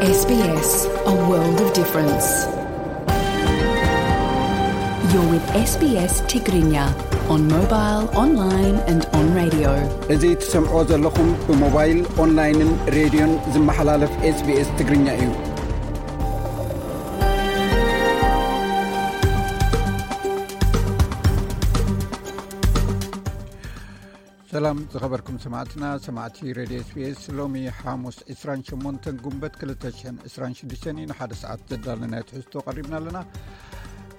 S B S, a world of difference. You're with S B S Tigrinya on mobile, online and on radio. እዚ ትሰምዕዎ ዘለኹም ብሞባይል፣ ኦንላይንን ሬድዮን ዝመሓላለፍ SBS ትግርኛ እዩ። ሰላም ዝኸበርኩም ሰማዕትና፣ ሰማዕቲ ሬድዮ SBS። ሎሚ ሓሙስ ዕስራን ሸሞንተን ጉንበት ክልተ ሽሕን ዕስራን ሽዱሽተን እዩ። ንሓደ ሰዓት ዘዳለናዮ ትሕዝቶ ቀሪብና ኣለና።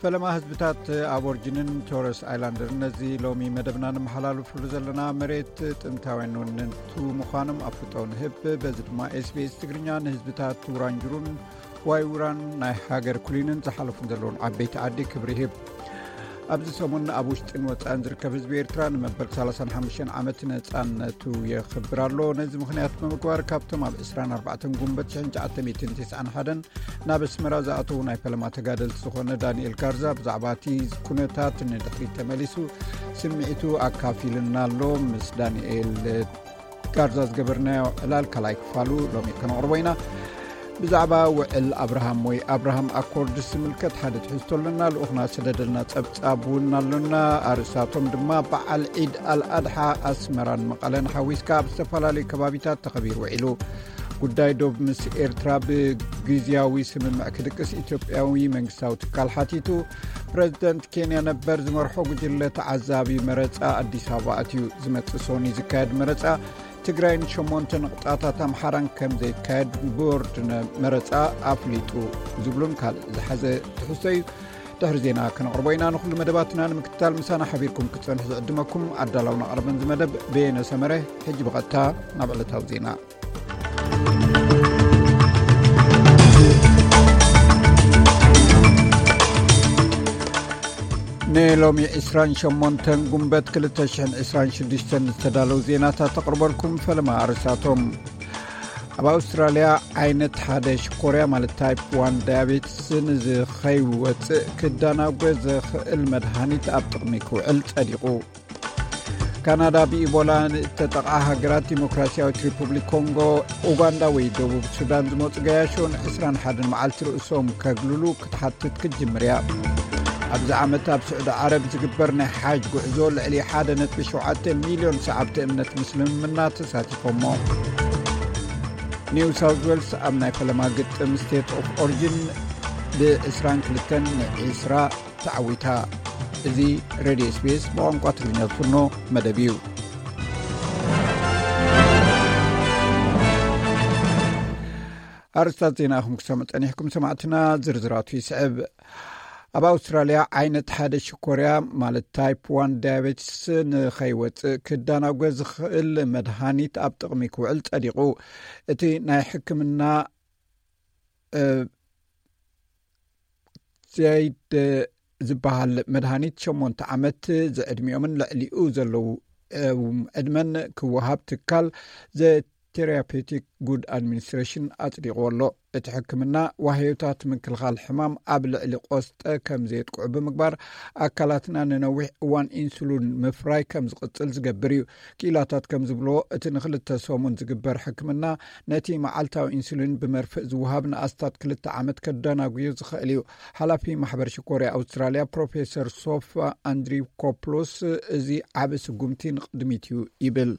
ፈለማ ህዝብታት ኣቦርጅንን ቶረስ ኣይላንደርን ነዚ ሎሚ መደብና ንመሓላልፍሉ ዘለና መሬት ጥንታውያን ወነንቱ ምዃኖም ኣፍልጦ ንህብ። በዚ ድማ SBS ትግርኛ ንህዝብታት ውራንጅሩን ዋይውራን ናይ ሃገር ኩሊንን ዝሓለፉን ዘለውን ዓበይቲ ዓዲ ክብሪ ይህብ። ኣብዚ ሰሙን ኣብ ውሽጥን ወጻእን ዝርከብ ህዝቢ ኤርትራ ንመበል ሰላሳን ሓሙሽተን ዓመት ነጻነቱ የኽብር ኣሎ። ነዚ ምኽንያት ብምግባር ካብቶም ኣብ ዕስራን ኣርባዕተን ጉንበት ሽሕን ትሽዓተ ሚእትን ተስዓን ሓደን ናብ ኣስመራ ዝኣተዉ ናይ ፈለማ ተጋደልቲ ዝኾነ ዳንኤል ጋርዛ ብዛዕባ እቲ ኩነታት ንድሕሪት ተመሊሱ ስምዒቱ ኣካፊልና ኣሎ። ምስ ዳንኤል ጋርዛ ዝገበርናዮ ዕላል ካልኣይ ክፋሉ ሎሚ ከነቕርቦ ኢና። ብዛዕባ ውዕል ኣብርሃም ወይ ኣብርሃም ኣኮርድስ ዝምልከት ሓደ ትሕዝቶ ኣለና። ልኡኽና ዝሰደደልና ጸብጻብ እውን ኣሎና። ኣርእስታቶም ድማ በዓል ዒድ ኣልኣድሓ ኣስመራን መቐለን ሓዊስካ ኣብ ዝተፈላለዩ ከባቢታት ተኸቢሩ ውዒሉ። ጉዳይ ዶብ ምስ ኤርትራ ብግዝያዊ ስምምዕ ክድቅስ ኢትዮጵያዊ መንግስታዊ ትካል ሓቲቱ። ፕረዚደንት ኬንያ ነበር ዝመርሖ ጉጅለ ተዓዛቢ መረጻ ኣዲስ ኣበባ ኣትዩ። ዝመጽእ ሰኒ ዝካየድ መረጻ ትግራይን ሸሞንተ ንቕጣታት ኣምሓራን ከም ዘይካየድ ቦርድ ነ-፣ መረጻ ኣፍሊጡ ዝብሉን ካልእ ዝሓዘ ትሕዝቶ እዩ። ድሕሪ ዜና ከነቕርቦ ኢና። ንኹሉ መደባትና ንምክትታል ምሳና ሓቢርኩም ክትጸንሑ ዝዕድመኩም ኣዳላውን ኣቕረብን ዝመደብ በየነ ሰመረ። ሕጂ ብቐጥታ ናብ ዕለታዊ ዜና። ንሎሚ ዕስራን ሸሞንተን ጉንበት ክልተ ሽሕን ዕስራን ሽዱሽተን ዝተዳለዉ ዜናታት ተቕርበልኩም። ፈለማ ኣርእስታቶም። ኣብ ኣውስትራልያ ዓይነት ሓደ ሽኮርያ ማለት ታይፕ ዋን ዳያቤትስ ንዝኸይወፅእ ክዳናጎ ዘኽእል መድሃኒት ኣብ ጥቕሚ ክውዕል ጸዲቑ። ካናዳ ብኢቦላ ንእተጠቕዓ ሃገራት ዲሞክራሲያዊት ሪፑብሊክ ኮንጎ፣ ኡጋንዳ ወይ ደቡብ ሱዳን ዝመጹ ገያሾ ንዕስራን ሓደን መዓልቲ ርእሶም ከግልሉ ክትሓትት ክትጅምር እያ። ኣብዚ ዓመት ኣብ ስዑዲ ዓረብ ዝግበር ናይ ሓጅ ጉዕዞ ልዕሊ ሓደ ነጥቢ ሸውዓተ ሚልዮን ሰዓብቲ እምነት ምስልምና ተሳቲፎሞ። ኒው ሳውዝ ዌልስ ኣብ ናይ ፈለማ ግጥም ስቴት ኦፍ ኦሪጂን ብዕስራን ክልተን ንዒስራ ተዓዊታ። እዚ ሬድዮ SBS ብቋንቋ ትግርኛ ዝፍኖ መደብ እዩ። ኣርስታት ዜና ኢኹም ክሰምዑ ጸኒሕኩም ሰማዕትና፣ ዝርዝራቱ ይስዕብ። ኣብ ኣውስትራልያ ዓይነት ሓደ ሽኮርያ ማለት ታይፕ ዋን ዳያቤትስ ንኸይወጽእ ክዳናጎ ዝኽእል መድሃኒት ኣብ ጥቕሚ ክውዕል ጸዲቑ። እቲ ናይ ሕክምና፣ እ፣ ዜይድ ዝበሃል መድሃኒት ሸሞንተ ዓመት ዝዕድሚኦምን ልዕሊኡ ዘለዉ፣ እ፣ ዕድመን ክወሃብ ትካል ዘ ቴራፒውቲክ ጉድ ኣድሚኒስትሬሽን ኣጽዲቕዎ ኣሎ። እቲ ሕክምና ዋህዮታት ምክልኻል ሕማም ኣብ ልዕሊ ቆስጠ ከም ዘየጥቅዑ ብምግባር ኣካላትና ንነዊሕ እዋን ኢንሱሊን ምፍራይ ከም ዝቕጽል ዝገብር እዩ። ክኢላታት ከም ዝብልዎ፣ እቲ ንክልተ ሰሙን ዝግበር ሕክምና ነቲ መዓልታዊ ኢንሱሊን ብመርፍእ ዝወሃብ ንኣስታት ክልተ ዓመት ከደናጉዮ ዝኽእል እዩ። ሓላፊ ማሕበር ሽኮርያ ኣውስትራልያ ፕሮፌሰር ሶፍ ኣንድሪኮፕሎስ፣ እዚ ዓቢ ስጉምቲ ንቕድሚት እዩ ይብል።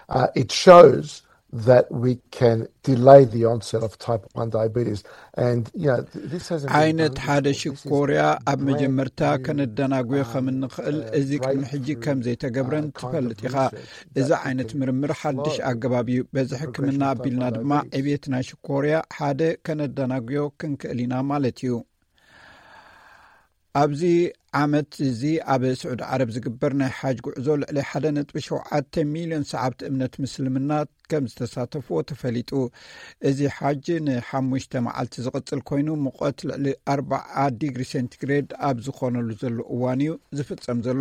Uh, it shows that we can delay the onset of type one diabetes. And, you know, th-, this hasn't been ዓይነት done ሓደ before. This is ሽኮርያ ኣብ brand መጀመርታ new, ከነደናጉዮ um, ከም እንኽእል uh, እዚ ቅድሚ ሕጂ breakthrough, ከም ዘይተገብረን uh, kind ትፈልጥ of ኢኻ። Research እዚ that ዓይነት can ምርምር ሓድሽ slow ኣገባብ እዩ። በዚ the ሕክምና progression of type ኣቢልና one ድማ diabetes። ዕብየት ናይ ሽኮርያ ሓደ ከነደናጉዮ ክንክእል ኢና ማለት እዩ። ኣብዚ ዓመት እዚ ኣብ ስዑዲ ዓረብ ዝግበር ናይ ሓጅ ጉዕዞ ልዕሊ ሓደ ነጥቢ ሸውዓተ ሚልዮን ሰዓብቲ እምነት ምስልምና ከም ዝተሳተፍዎ ተፈሊጡ። እዚ ሓጅ ንሓሙሽተ መዓልቲ ዝቕጽል ኮይኑ፣ ሙቐት ልዕሊ ኣርብዓ ዲግሪ ሴንቲግሬድ ኣብ ዝኾነሉ ዘሎ እዋን እዩ ዝፍጸም ዘሎ።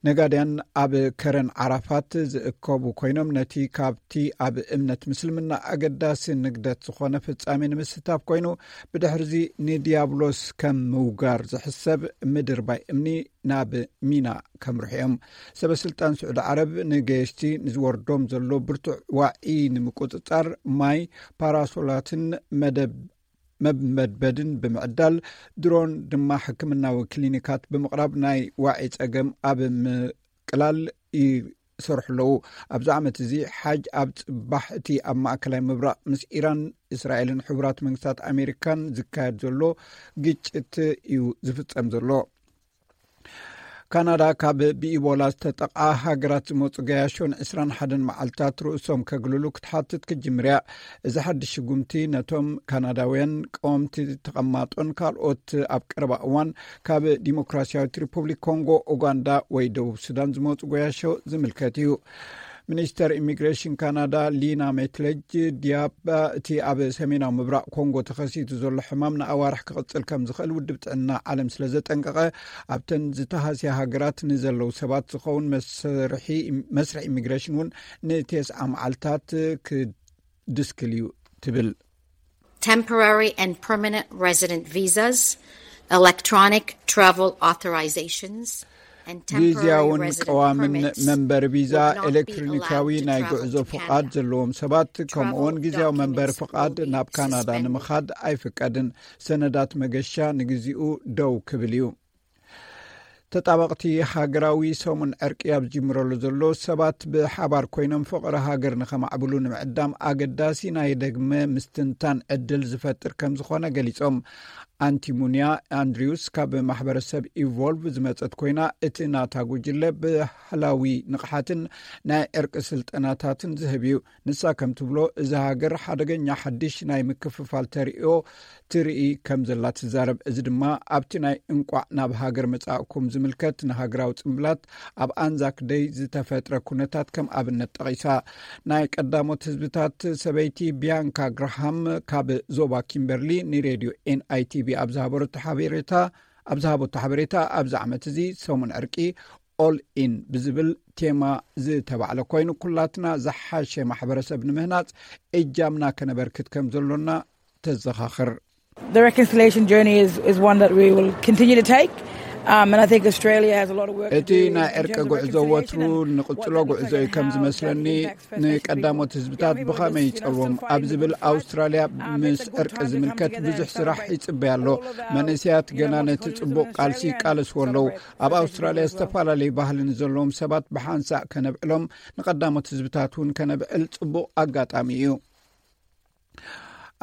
ነጋድያን ኣብ ከረን ዓራፋት ዝእከቡ ኮይኖም፣ ነቲ ካብቲ ኣብ እምነት ምስልምና ኣገዳሲ ንግደት ዝኾነ ፍጻሜ ንምስታፍ ኮይኑ፣ ብድሕርዚ ንዲያብሎስ ከም ምውጋር ዝሕሰብ ምድርባ እምኒ ናብ ሚና ከምርሑ እዮም። ሰበ ስልጣን ስዑዲ ዓረብ ንገየሽቲ ንዝወርዶም ዘሎ ብርቱዕ ዋዒ ንምቁጽጻር ማይ፣ ፓራሶላትን መደብ መመድበድን ብምዕዳል፣ ድሮን ድማ ሕክምናዊ ክሊኒካት ብምቕራብ ናይ ዋዒ ጸገም ኣብ ምቅላል ይሰርሑ ኣለዉ። ኣብዚ ዓመት እዚ ሓጅ ኣብ ጽባሕ እቲ ኣብ ማእከላይ ምብራቕ ምስ ኢራን፣ እስራኤልን ሕቡራት መንግስታት ኣሜሪካን ዝካየድ ዘሎ ግጭት እዩ ዝፍጸም ዘሎ። ካናዳ ካብ ብኢቦላ ዝተጠቕዓ ሃገራት ዝመፁ ገያሾ ን ዕስራን ሓደን መዓልታት ርእሶም ከግልሉ ክትሓትት ክትጅምር እያ። እዚ ሓድሽ ስጉምቲ ነቶም ካናዳውያን ቀወምቲ ተቐማጦን ካልኦት ኣብ ቀረባ እዋን ካብ ዲሞክራሲያዊት ሪፑብሊክ ኮንጎ፣ ኡጋንዳ ወይ ደቡብ ሱዳን ዝመፁ ገያሾ ዝምልከት እዩ። ሚኒስተር ኢሚግሬሽን ካናዳ ሊና ሜትለጅ ዲያባ፣ እቲ ኣብ ሰሜናዊ ምብራቕ ኮንጎ ተኸሲቱ ዘሎ ሕማም ንኣዋርሕ ክቕጽል ከም ዝኽእል ውድብ ጥዕና ዓለም ስለ ዘጠንቀቐ፣ ኣብተን ዝተሃስያ ሃገራት ንዘለዉ ሰባት ዝኸውን መስርሒ፣ መስርሕ ኢሚግሬሽን እውን ንቴስዓ መዓልታት ክድስክል እዩ ትብል። Temporary and permanent resident visas, electronic travel authorizations, and temporary ግዜያውን resident ቀዋምን permits መንበሪ ቪዛ፣ would not be ኤሌክትሮኒካዊ allowed to ናይ travel ጉዕዞ to ፍቓድ Canada. ዘለዎም ሰባት፣ ከምኡውን Travel ግዜያዊ መንበሪ documents ፍቓድ will be ናብ ካናዳ suspended. ንምኻድ ኣይፍቀድን። ሰነዳት መገሻ ንግዚኡ ደው ክብል እዩ። ተጣበቕቲ ሃገራዊ ሰሙን ዕርቂ ኣብ ዝጅምረሉ ዘሎ፣ ሰባት ብሓባር ኮይኖም ፍቕሪ ሃገር ንኸማዕብሉ ንምዕዳም ኣገዳሲ ናይ ደግመ ምስትንታን ዕድል ዝፈጥር ከም ዝኾነ ገሊጾም። ኣንቲሙንያ ኣንድሪውስ ካብ ማሕበረሰብ ኢቮልቭ ዝመጸት ኮይና፣ እቲ ናታ ጉጅለ ባህላዊ ንቕሓትን ናይ ዕርቂ ስልጠናታትን ዝህብ እዩ። ንሳ ከም ትብሎ፣ እዚ ሃገር ሓደገኛ ሓድሽ ናይ ምክፍፋል ተርእዮ ትርኢ ከም ዘላ ትዛረብ። እዚ ድማ ኣብቲ ናይ እንቋዕ ናብ ሃገር መጻእኩም ዝምልከት ንሃገራዊ ጽምብላት ኣብ ኣንዛክ ደይ ዝተፈጥረ ኩነታት ከም ኣብነት ጠቒሳ። ናይ ቀዳሞት ህዝብታት ሰበይቲ ቢያንካ ግራሃም ካብ ዞባ ኪምበርሊ ንሬድዮ ኤንኣይቲቪ ኣብ ዝሃበረቶ ሓበሬታ፣ ኣብ ዝሃበቶ ሓበሬታ፣ ኣብዚ ዓመት እዚ ሰሙን ዕርቂ ኦል ኢን ብዝብል ቴማ ዝተባዕለ ኮይኑ፣ ኩላትና ዝሓሸ ማሕበረሰብ ንምህናጽ እጃምና ከነበርክት ከም ዘሎና ተዘኻኽር። The reconciliation journey is, is one that we will continue to take, um, and I think Australia has a lot of work to እቲ do in ናይ terms ዕርቂ of ጉዕዞ reconciliation ወትሩ and what ንቕጽሎ that looks ጉዕዞ like እዩ and ከም how that ዝመስለኒ። impacts First Nations ንቀዳሞት people. ህዝብታት We're ብኸመይ working still ይጸልዎም fighting ኣብ with ዝብል the fight. ኣውስትራልያ Um, it's ምስ important ዕርቂ time to come ዝምልከት together ብዙሕ and ስራሕ celebrate ይጽበያ ኣሎ። all of our, መንእሰያት you know, ገና ነቲ multiculturalism ጽቡቕ in ቃልሲ Australia and ይቃለስዎ ኣለዉ። celebrate ኣብ First Nations ኣውስትራልያ people as well. ዝተፈላለዩ ባህልን ዘለዎም ሰባት ብሓንሳእ ከነብዕሎም ንቀዳሞት ህዝብታት እውን ከነብዕል ጽቡቕ ኣጋጣሚ እዩ።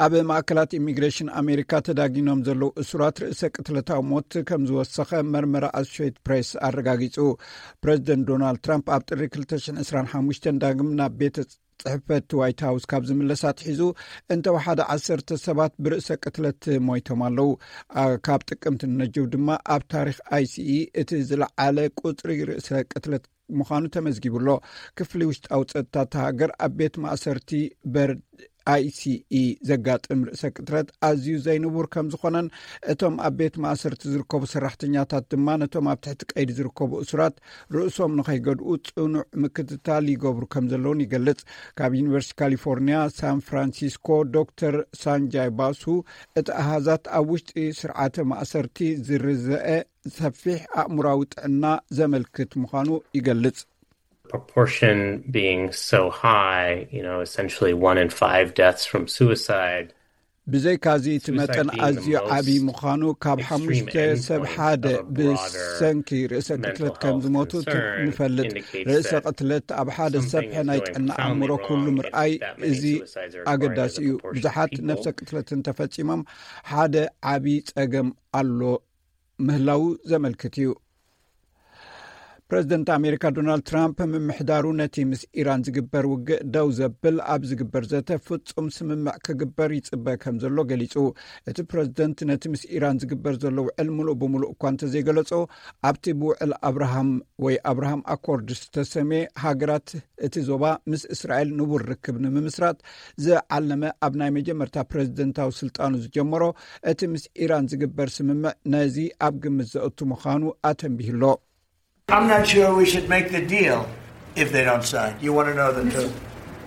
ኣብ ማእከላት ኢሚግሬሽን ኣሜሪካ ተዳጊኖም ዘለዉ እሱራት ርእሰ ቅትለታዊ ሞት ከም ዝወሰኸ መርመራ ኣሶሼትድ ፕሬስ ኣረጋጊጹ። ፕሬዚደንት ዶናልድ ትራምፕ ኣብ ጥሪ ክልተ ሽሕን ዕስራን ሓሙሽተን ዳግም ናብ ቤተ ጽሕፈት ዋይት ሃውስ ካብ ዝምለስ ኣትሒዙ፣ እንተወሓደ ዓሰርተ ሰባት ብርእሰ ቅትለት ሞይቶም ኣለዉ። ኣ፣ ካብ ጥቅምቲ ንነጀው ድማ ኣብ ታሪኽ ኣይሲኢ እቲ ዝለዓለ ቁጽሪ ርእሰ ቅትለት ምዃኑ ተመዝጊቡ ኣሎ። ክፍሊ ውሽጣዊ ጸጥታ እታ ሃገር ኣብ ቤት ማእሰርቲ በርድ ኣይሲኢ ዘጋጥም ርእሰ ቅትለት ኣዝዩ ዘይንቡር ከም ዝኾነን፣ እቶም ኣብ ቤት ማእሰርቲ ዝርከቡ ሰራሕተኛታት ድማ ነቶም ኣብ ትሕቲ ቀይዲ ዝርከቡ እሱራት ርእሶም ንኸይገድኡ ጽኑዕ ምክትታል ይገብሩ ከም ዘለውን ይገልጽ። ካብ ዩኒቨርሲቲ ካሊፎርኒያ ሳን ፍራንሲስኮ ዶክተር ሳንጃይ ባሱ፣ እቲ ኣሃዛት ኣብ ውሽጢ ስርዓተ ማእሰርቲ ዝርዘአ ሰፊሕ ኣእምራዊ ጥዕና ዘመልክት ምዃኑ ይገልጽ። Proportion being so high, you know, essentially one in five deaths from suicide. ብዘይካዚ እቲ Suicide መጠን being the ኣዝዩ most ዓብዪ ምዃኑ፣ ካብ extreme ሓሙሽተ ሰብ endpoint ሓደ of a broader ብሰንኪ ርእሰ mental ቅትለት ከም health ዝሞቱ ት- concern ንፈልጥ። indicates ርእሰ that ቅትለት ኣብ ሓደ ሰብ something is ናይ going ጥዕና profoundly ኣእምሮ ኩሉ wrong if ምርኣይ that many እዚ suicides are occurring ኣገዳሲ as a እዩ። proportion of ብዙሓት people. ነፍሰ ቅትለት እንተፈጺሞም ሓደ ዓብዪ ጸገም ኣሎ ምህላዉ ዘመልክት እዩ። ፕሬዚደንት ኣሜሪካ ዶናልድ ትራምፕ፣ ምምሕዳሩ ነቲ ምስ ኢራን ዝግበር ውግእ ደው ዘብል ኣብ ዝግበር ዘተ ፍጹም ስምምዕ ክግበር ይጽበ ከም ዘሎ ገሊጹ። እቲ ፕሬዚደንት ነቲ ምስ ኢራን ዝግበር ዘሎ ውዕል ምሉእ ብምሉእ እኳ እንተዘይገለጾ፣ ኣብቲ ብውዕል ኣብርሃም ወይ ኣብርሃም ኣኮርድ ዝተሰምየ ሃገራት እቲ ዞባ ምስ እስራኤል ንቡር ርክብ ንምምስራት ዝዓለመ ኣብ ናይ መጀመርታ ፕሬዚደንታዊ ስልጣኑ ዝጀመሮ፣ እቲ ምስ ኢራን ዝግበር ስምምዕ ነዚ ኣብ ግምት ዘእቱ ምዃኑ ኣተንቢሁ ኣሎ። I'm not sure we should make the deal if they don't sign. You want to know the truth.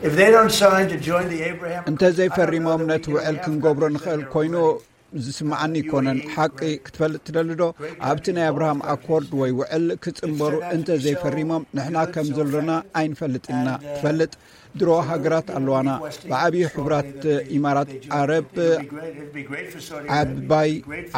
If they don't sign to join the Abraham እንተዘይፈሪሞም ነቲ ውዕል ክንገብሮ ንኽእል ኮይኑ፣ ዝስምዓኒ ኣይኮነን። ሓቂ ክትፈልጥ ትደሊ ዶ? ኣብቲ ናይ ኣብርሃም ኣኮርድ ወይ ውዕል ክጽንበሩ እንተ ዘይፈሪሞም ንሕና ከም ዘሎና ኣይንፈልጥን ኢና። ትፈልጥ፣ ድሮ ሃገራት ኣለዋና። ብዓብዪ ሕቡራት ኢማራት ዓረብ ዓባይ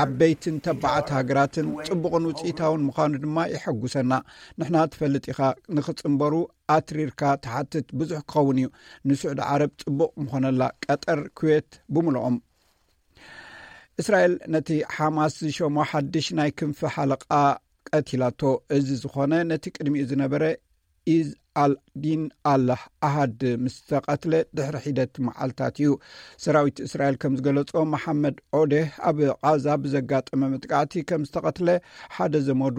ዓበይትን ተባዓት ሃገራትን ጽቡቕን ውጽኢታውን ምዃኑ ድማ ይሐጉሰና። ንሕና፣ ትፈልጥ ኢኻ፣ ንኽጽንበሩ ኣትሪርካ ትሓትት ብዙሕ ክኸውን እዩ። ንስዑዲ ዓረብ ጽቡቕ ምኾነላ፣ ቀጠር፣ ኩዌት ብምልኦም። እስራኤል ነቲ ሓማስ ዝሸሞ ሓድሽ ናይ ክንፊ ሓለቓ ቀቲላቶ። እዚ ዝኾነ ነቲ ቅድሚኡ ዝነበረ ኢዝ ኣልዲን ኣላህ ኣሃድ ምስ ተቐትለ ድሕሪ ሒደት መዓልታት እዩ። ሰራዊት እስራኤል ከም ዝገለጾ፣ መሓመድ ኦዴህ ኣብ ቓዛ ብዘጋጠመ መጥቃዕቲ ከም ዝተቐትለ ሓደ ዘመዱ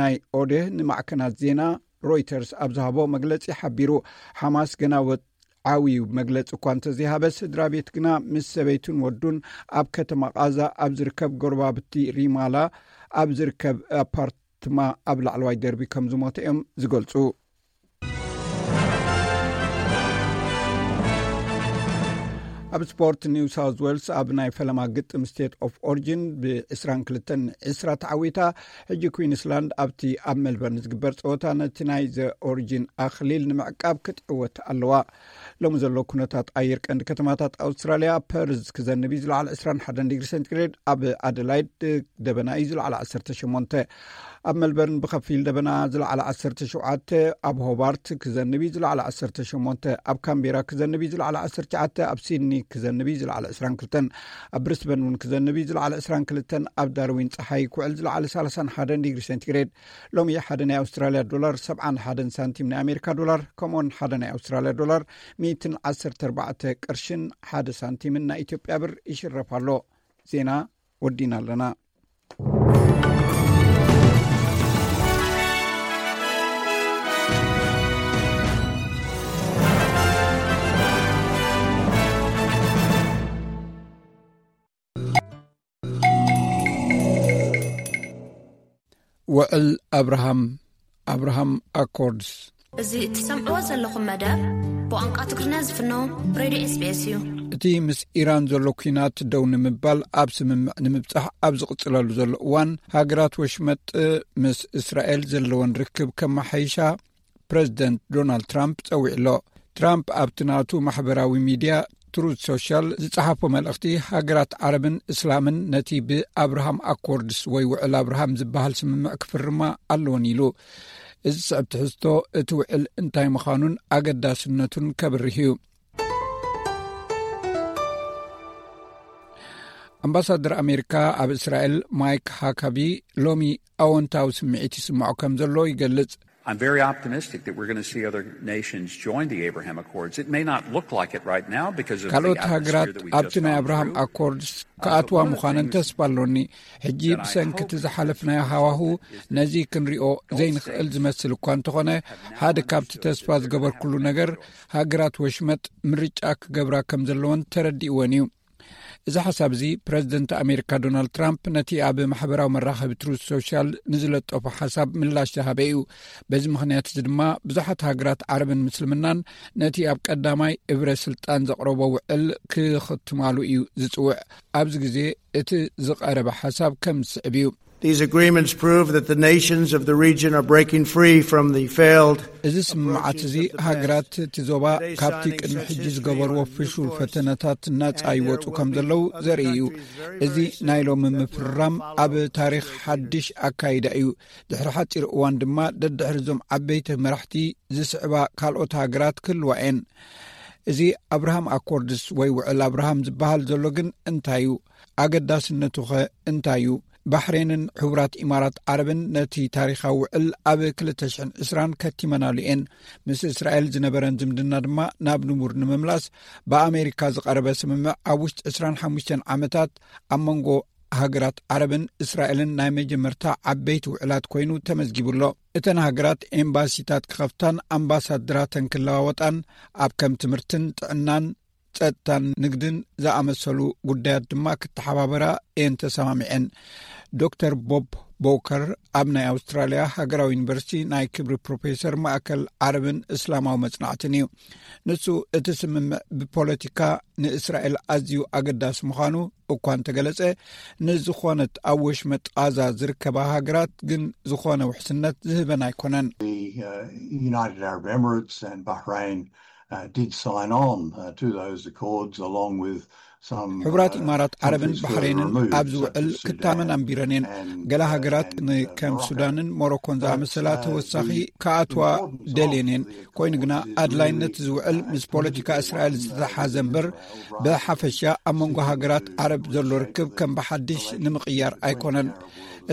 ናይ ኦዴህ ንማዕከናት ዜና ሮይተርስ ኣብ ዝሃቦ መግለጺ ሓቢሩ። ሓማስ ገና ወ-፣ ዓብዩ መግለጺ እኳ እንተዘይሃበ፣ ስድራ ቤት ግና ምስ ሰበይቱን ወዱን ኣብ ከተማ ቓዛ ኣብ ዝርከብ ጎረባብቲ ሪማላ ኣብ ዝርከብ ኣፓርትማ ኣብ ላዕለዋይ ደርቢ ከም ዝሞተ እዮም ዝገልጹ። ኣብ ስፖርት፣ ኒው ሳውዝ ዌልስ ኣብ ናይ ፈለማ ግጥም ስቴት ኦፍ ኦሪጂን ብ22-20 ተዓዊታ። ሕጂ ኩዊንስላንድ ኣብቲ ኣብ ሜልበርን ዝግበር ጸወታ ነቲ ናይ ዘ ኦሪጂን ኣኽሊል ንምዕቃብ ክትዕወት ኣለዋ። ሎሚ ዘሎ ኩነታት ኣየር፣ ቀንዲ ከተማታት ኣውስትራልያ፣ ፐርዝ ክዘንብ እዩ፣ ዝለዓለ 21 ዲግሪ ሴንቲግሬድ፣ ኣብ ኣደላይድ ደበና እዩ፣ ዝለዓለ 18፣ ኣብ ሜልበርን ብኸፊል ደበና፣ ዝለዓለ 17፣ ኣብ ሆባርት ክዘንብ እዩ፣ ዝለዓለ 18፣ ኣብ ካምቤራ ክዘንብ እዩ፣ ዝለዓለ 19፣ ኣብ ሲድኒ ክዘንብ እዩ፣ ዝለዓለ 22፣ ኣብ ብሪስበን እውን ክዘንብ እዩ፣ ዝለዓለ 22፣ ኣብ ዳርዊን ጸሓይ ክውዕል፣ ዝለዓለ 31 ዲግሪ ሴንቲግሬድ። ሎሚ ሓደ ናይ ኣውስትራልያ ዶላር 71 ሳንቲም ናይ ኣሜሪካ ዶላር፣ ከምኡውን ሓደ ናይ ኣውስትራልያ ዶላር 114 ቅርሽን ሓደ ሳንቲምን ናይ ኢትዮጵያ ብር ይሽረፍ ኣሎ። ዜና ወዲና ኣለና። ውዕል ኣብርሃም፣ ኣብርሃም ኣኮርድስ። እዚ እትሰምዕዎ ዘለኹም መደብ ብቋንቋ ትግርኛ ዝፍኖ ሬድዮ ኤስ ቢ ኤስ እዩ። እቲ ምስ ኢራን ዘሎ ኲናት ደው ንምባል ኣብ ስምምዕ ንምብጻሕ ኣብ ዝቕጽለሉ ዘሎ እዋን፣ ሃገራት ወሽመጥ ምስ እስራኤል ዘለወን ርክብ ከመሓይሻ ፕረዚደንት ዶናልድ ትራምፕ ጸዊዑ ኣሎ። ትራምፕ ኣብቲ ናቱ ማሕበራዊ ሚድያ ትሩዝ ሶሻል ዝጸሓፎ መልእኽቲ፣ ሃገራት ዓረብን እስላምን ነቲ ብኣብርሃም ኣኮርድስ ወይ ውዕል ኣብርሃም ዝበሃል ስምምዕ ክፍርማ ኣለወን ኢሉ። እዚ ዝስዕብ ትሕዝቶ፣ እቲ ውዕል እንታይ ምዃኑን ኣገዳስነቱን ከብርህ እዩ። ኣምባሳደር ኣሜሪካ ኣብ እስራኤል ማይክ ሃካቢ ሎሚ ኣወንታዊ ስምዒት ይስምዖ ከም ዘሎ ይገልጽ። I'm very optimistic that we're gonna see other nations join the Abraham Accords. It may not look like it right now because of the ካልኦት ሃገራት ኣብቲ ናይ ኣብርሃም ኣኮርድስ ክኣትዋ ምዃነን ተስፋ ኣሎኒ። ሕጂ ብሰንኪ እቲ ዝሓለፍናዮ ሃዋሁ ነዚ ክንሪኦ ዘይንኽእል ዝመስል እኳ እንተኾነ፣ ሓደ ካብቲ ተስፋ ዝገበርኩሉ ነገር፣ ሃገራት ወሽመጥ ምርጫ ክገብራ ከም ዘለወን ተረዲእወን እዩ። እዚ ሓሳብ እዚ ፕረዚደንት ኣሜሪካ ዶናልድ ትራምፕ ነቲ ኣብ ማሕበራዊ መራኸቢ ትሩዝ ሶሻል ንዝለጠፎ ሓሳብ ምላሽ ዝሃበ እዩ። በዚ ምኽንያት እዚ ድማ ብዙሓት ሃገራት ዓረብን ምስልምናን ነቲ ኣብ ቀዳማይ እብረ ስልጣን ዘቕረቦ ውዕል ክኽትማሉ እዩ ዝጽውዕ። ኣብዚ ግዜ እቲ ዝቐረበ ሓሳብ ከም ዝስዕብ እዩ። These agreements prove that the nations of the region are breaking free from the failed እዚ ስምምዓት እዚ ሃገራት እቲ ዞባ ካብቲ ቅድሚ ሕጂ ዝገበርዎ ፍሹል ፈተነታት ናጻ ይወጹ ከም ዘለዉ ዘርኢ እዩ። እዚ ናይ ሎሚ ምፍርራም ኣብ ታሪኽ ሓድሽ ኣካይዳ እዩ። ድሕሪ ሓጺር እዋን ድማ ደድሕሪ እዞም ዓበይቲ መራሕቲ ዝስዕባ ካልኦት ሃገራት ክህልዋ እየን። እዚ ኣብርሃም ኣኮርድስ ወይ ውዕል ኣብርሃም ዝበሃል ዘሎ ግን እንታይ እዩ? ኣገዳስነቱኸ እንታይ እዩ? ባሕሬንን ሕቡራት ኢማራት ዓረብን ነቲ ታሪኻዊ ውዕል ኣብ 2020 ከቲመናሉ እየን። ምስ እስራኤል ዝነበረን ዝምድና ድማ ናብ ንቡር ንምምላስ ብኣሜሪካ ዝቐረበ ስምምዕ፣ ኣብ ውሽጢ 25 ዓመታት ኣብ መንጎ ሃገራት ዓረብን እስራኤልን ናይ መጀመርታ ዓበይቲ ውዕላት ኮይኑ ተመዝጊቡ ኣሎ። እተን ሃገራት ኤምባሲታት ክኸፍታን ኣምባሳደራተን ክለዋወጣን፣ ኣብ ከም ትምህርትን ጥዕናን ጸጥታን ንግድን ዝኣመሰሉ ጉዳያት ድማ ክተሓባበራ እየን ተሰማሚዐን። ዶክተር ቦብ ቦከር ኣብ ናይ ኣውስትራልያ ሃገራዊ ዩኒቨርሲቲ ናይ ክብሪ ፕሮፌሰር ማእከል ዓረብን እስላማዊ መጽናዕትን እዩ። ንሱ እቲ ስምምዕ ብፖለቲካ ንእስራኤል ኣዝዩ ኣገዳሲ ምዃኑ እኳ እንተገለጸ፣ ንዝኾነት ኣብ ወሽመጥ ቓዛ ዝርከባ ሃገራት ግን ዝኾነ ውሕስነት ዝህበን ኣይኮነን። The uh, United Arab Emirates and Bahrain uh, did sign on uh, to those accords along with some ሕቡራት uh, ኢማራት ዓረብን countries further ባሕሬንን removed, ኣብዚ such ውዕል as ክታመን Sudan ኣንቢረን እየን። and ገለ uh, ሃገራት and, ን- uh, ከም Morocco. ሱዳንን ሞሮኮን But, ዝኣመሰላ uh, ተወሳኺ the ክኣትዋ importance of ደልየን እየን። the ኮይኑ ግና accords is ኣድላይነት really, እዚ ውዕል uh, ምስ ፖለቲካ እስራኤል ዝተተሓዘ እምበር ብሓፈሻ ኣብ መንጎ ሃገራት ዓረብ ዘሎ ርክብ ከም ብሓድሽ ንምቕያር ኣይኮነን።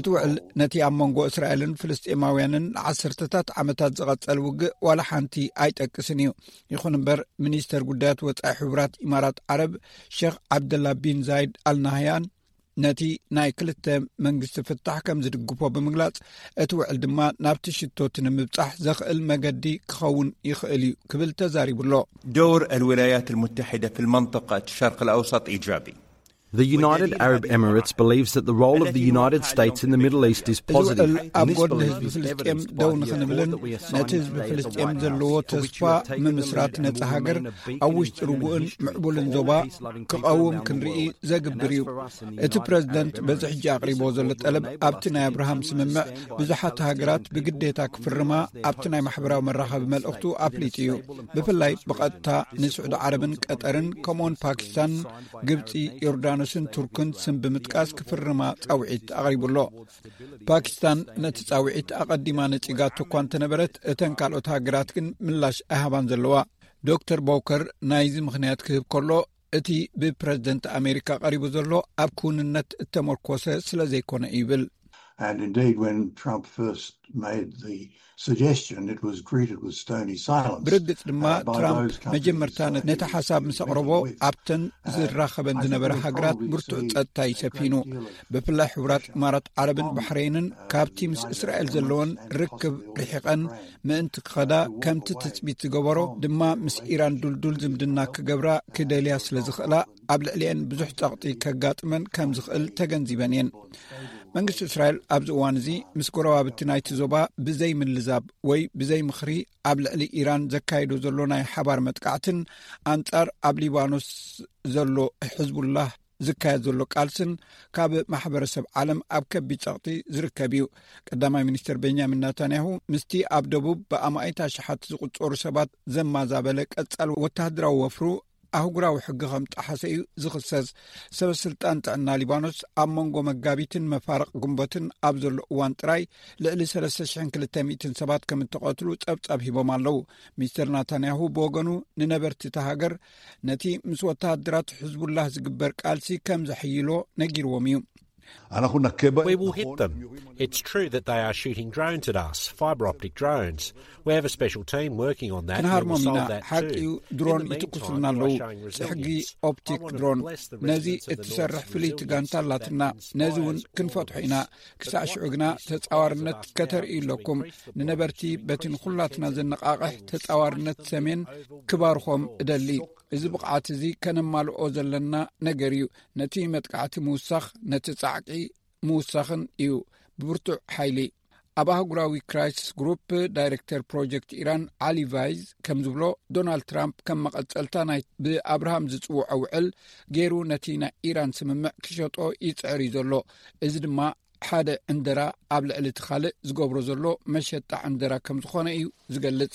እቲ ውዕል ነቲ ኣብ መንጎ እስራኤልን ፍልስጤማውያንን ንዓሰርተታት ዓመታት ዝቐጸል ውግእ ዋላ ሓንቲ ኣይጠቅስን እዩ። ይኹን እምበር፣ ሚኒስተር ጉዳያት ወጻኢ ሕቡራት ኢማራት ዓረብ ሸኽ ዓብደላ ቢን ዛይድ ኣልናህያን ነቲ ናይ ክልተ መንግስቲ ፍታሕ ከም ዝድግፎ ብምግላጽ፣ እቲ ውዕል ድማ ናብቲ ሽቶቲ ንምብጻሕ ዘኽእል መገዲ ክኸውን ይኽእል እዩ ክብል ተዛሪቡ ኣሎ። دور الولايات المتحدة في المنطقة الشرق الأوسط إيجابي. The United Arab Emirates believes that the role of the United States in the Middle East is እዚ ውዕል positive. ኣብ And this ጎድኒ belief ህዝቢ is ፍልስጤም evidenced by ደው the ንኽንብልን accord that we have ነቲ signed ህዝቢ today at the ፍልስጤም White ዘለዎ House, which ተስፋ we have taken the ምምስራት lead in ነጻ moving ሃገር in a big ኣብ and ውሽጢ exciting ርጉእን initiative for ምዕቡልን all ዞባ peace-loving people ክቐውም around the ክንርኢ world. ዘግብር እዩ። እቲ ፕረዚደንት በዚ ሕጂ ኣቕሪቦ ዘሎ ጠለብ ኣብቲ ናይ ኣብርሃም ስምምዕ ብዙሓት ሃገራት ብግዴታ ክፍርማ፣ ኣብቲ ናይ ማሕበራዊ መራኸቢ መልእኽቱ ኣፍሊጡ እዩ። ብፍላይ ብቐጥታ ንስዑዲ ዓረብን ቀጠርን ከምኡውን ፓኪስታን፣ ግብጺ፣ ዮርዳኖስን ቱርክን ስም ብምጥቃስ ክፍርማ ጻውዒት ኣቕሪቡ ኣሎ። ፓኪስታን ነቲ ጻውዒት ኣቐዲማ ነጺጋቶ እኳ እንተነበረት፣ እተን ካልኦት ሃገራት ግን ምላሽ ኣይሃባን ዘለዋ። ዶክተር ቦከር ናይዚ ምኽንያት ክህብ ከሎ፣ እቲ ብፕረዚደንት ኣሜሪካ ቀሪቡ ዘሎ ኣብ ክውንነት እተመርኮሰ ስለ ዘይኮነ እዩ ይብል። And indeed, when Trump first made the suggestion, it was greeted with stony silence. ብርግጽ ድማ ትራምፕ መጀመርታ ነቲ ሓሳብ ምስ ኣቕረቦ ኣብተን ዝራኸበን ዝነበረ ሃገራት ብርቱዕ ጸጥታ እዩ ሰፊኑ። ብፍላይ ሕቡራት ኢማራት ዓረብን ባሕሬንን ካብቲ ምስ እስራኤል ዘለወን ርክብ ርሒቐን ምእንቲ ክኸዳ፣ ከምቲ ትጽቢት ዝገበሮ ድማ ምስ ኢራን ዱልዱል ዝምድና ክገብራ ክደልያ ስለ ዝኽእላ፣ ኣብ ልዕሊአን ብዙሕ ጸቕጢ ከጋጥመን ከም ዝኽእል ተገንዚበን እየን። መንግስቲ እስራኤል ኣብዚ እዋን እዚ ምስ ጎረባብቲ ናይቲ ዞባ ብዘይ ምልዛብ ወይ ብዘይ ምኽሪ ኣብ ልዕሊ ኢራን ዘካይዶ ዘሎ ናይ ሓባር መጥቃዕትን ኣንጻር ኣብ ሊባኖስ ዘሎ ሕዝቡላህ ዝካየድ ዘሎ ቃልስን ካብ ማሕበረሰብ ዓለም ኣብ ከቢድ ጸቕጢ ዝርከብ እዩ። ቀዳማይ ሚኒስትር ቤንያሚን ናታንያሁ ምስቲ ኣብ ደቡብ ብኣማኢት ኣሽሓት ዝቑጸሩ ሰባት ዘማዛበለ ቀጻል ወተሃደራዊ ወፍሩ ኣህጉራዊ ሕጊ ከም ጠሓሰ እዩ ዝኽሰስ። ሰበ ስልጣን ጥዕና ሊባኖስ ኣብ መንጎ መጋቢትን መፋርቕ ግንቦትን ኣብ ዘሎ እዋን ጥራይ ልዕሊ ሰለስተ ሽሕን ክልተ ሚእትን ሰባት ከም እተቐትሉ ጸብጻብ ሂቦም ኣለዉ። ሚስተር ናታንያሁ ብወገኑ ንነበርቲ እታ ሃገር ነቲ ምስ ወተሃደራት ሕዝቡላህ ዝግበር ቃልሲ ከም ዘሕይሎ ነጊርዎም እዩ። אנחנו נכה בהם. We will hit them. It's true that they are shooting drones at us, fibre optic drones. We have a special team working on that. ክንሃርሞም ኢና። ሓቂ እዩ፣ ድሮን ይትኩሱልና ኣለዉ። ጽሕጊ ኦፕቲክ ድሮን፣ ነዚ እትሰርሕ ፍልይቲ ጋንታ ኣላትና። ነዚ እውን ክንፈትሖ ኢና። ክሳዕ ሽዑ ግና ተጻዋርነት ከተርእዩ ኣለኩም። ንነበርቲ በቲ ንኹላትና ዘነቓቕሕ ተጻዋርነት ሰሜን ክባርኾም እደሊ። እዚ ብቕዓት እዚ ከነማልኦ ዘለና ነገር እዩ። ነቲ መጥቃዕቲ ምውሳኽ፣ ነቲ ጻዕቂ ምውሳኽን እዩ ብብርቱዕ ሓይሊ። ኣብ ኣህጉራዊ ክራይሲስ ግሩፕ ዳይሬክተር ፕሮጀክት ኢራን ዓሊ ቫይዝ ከም ዝብሎ፣ ዶናልድ ትራምፕ ከም መቐጸልታ ናይ ብኣብርሃም ዝጽውዖ ውዕል ገይሩ ነቲ ናይ ኢራን ስምምዕ ክሸጦ ይጽዕር እዩ ዘሎ። እዚ ድማ ሓደ ዕንደራ ኣብ ልዕሊ እቲ ካልእ ዝገብሮ ዘሎ መሸጣ ዕንደራ ከም ዝኾነ እዩ ዝገልጽ።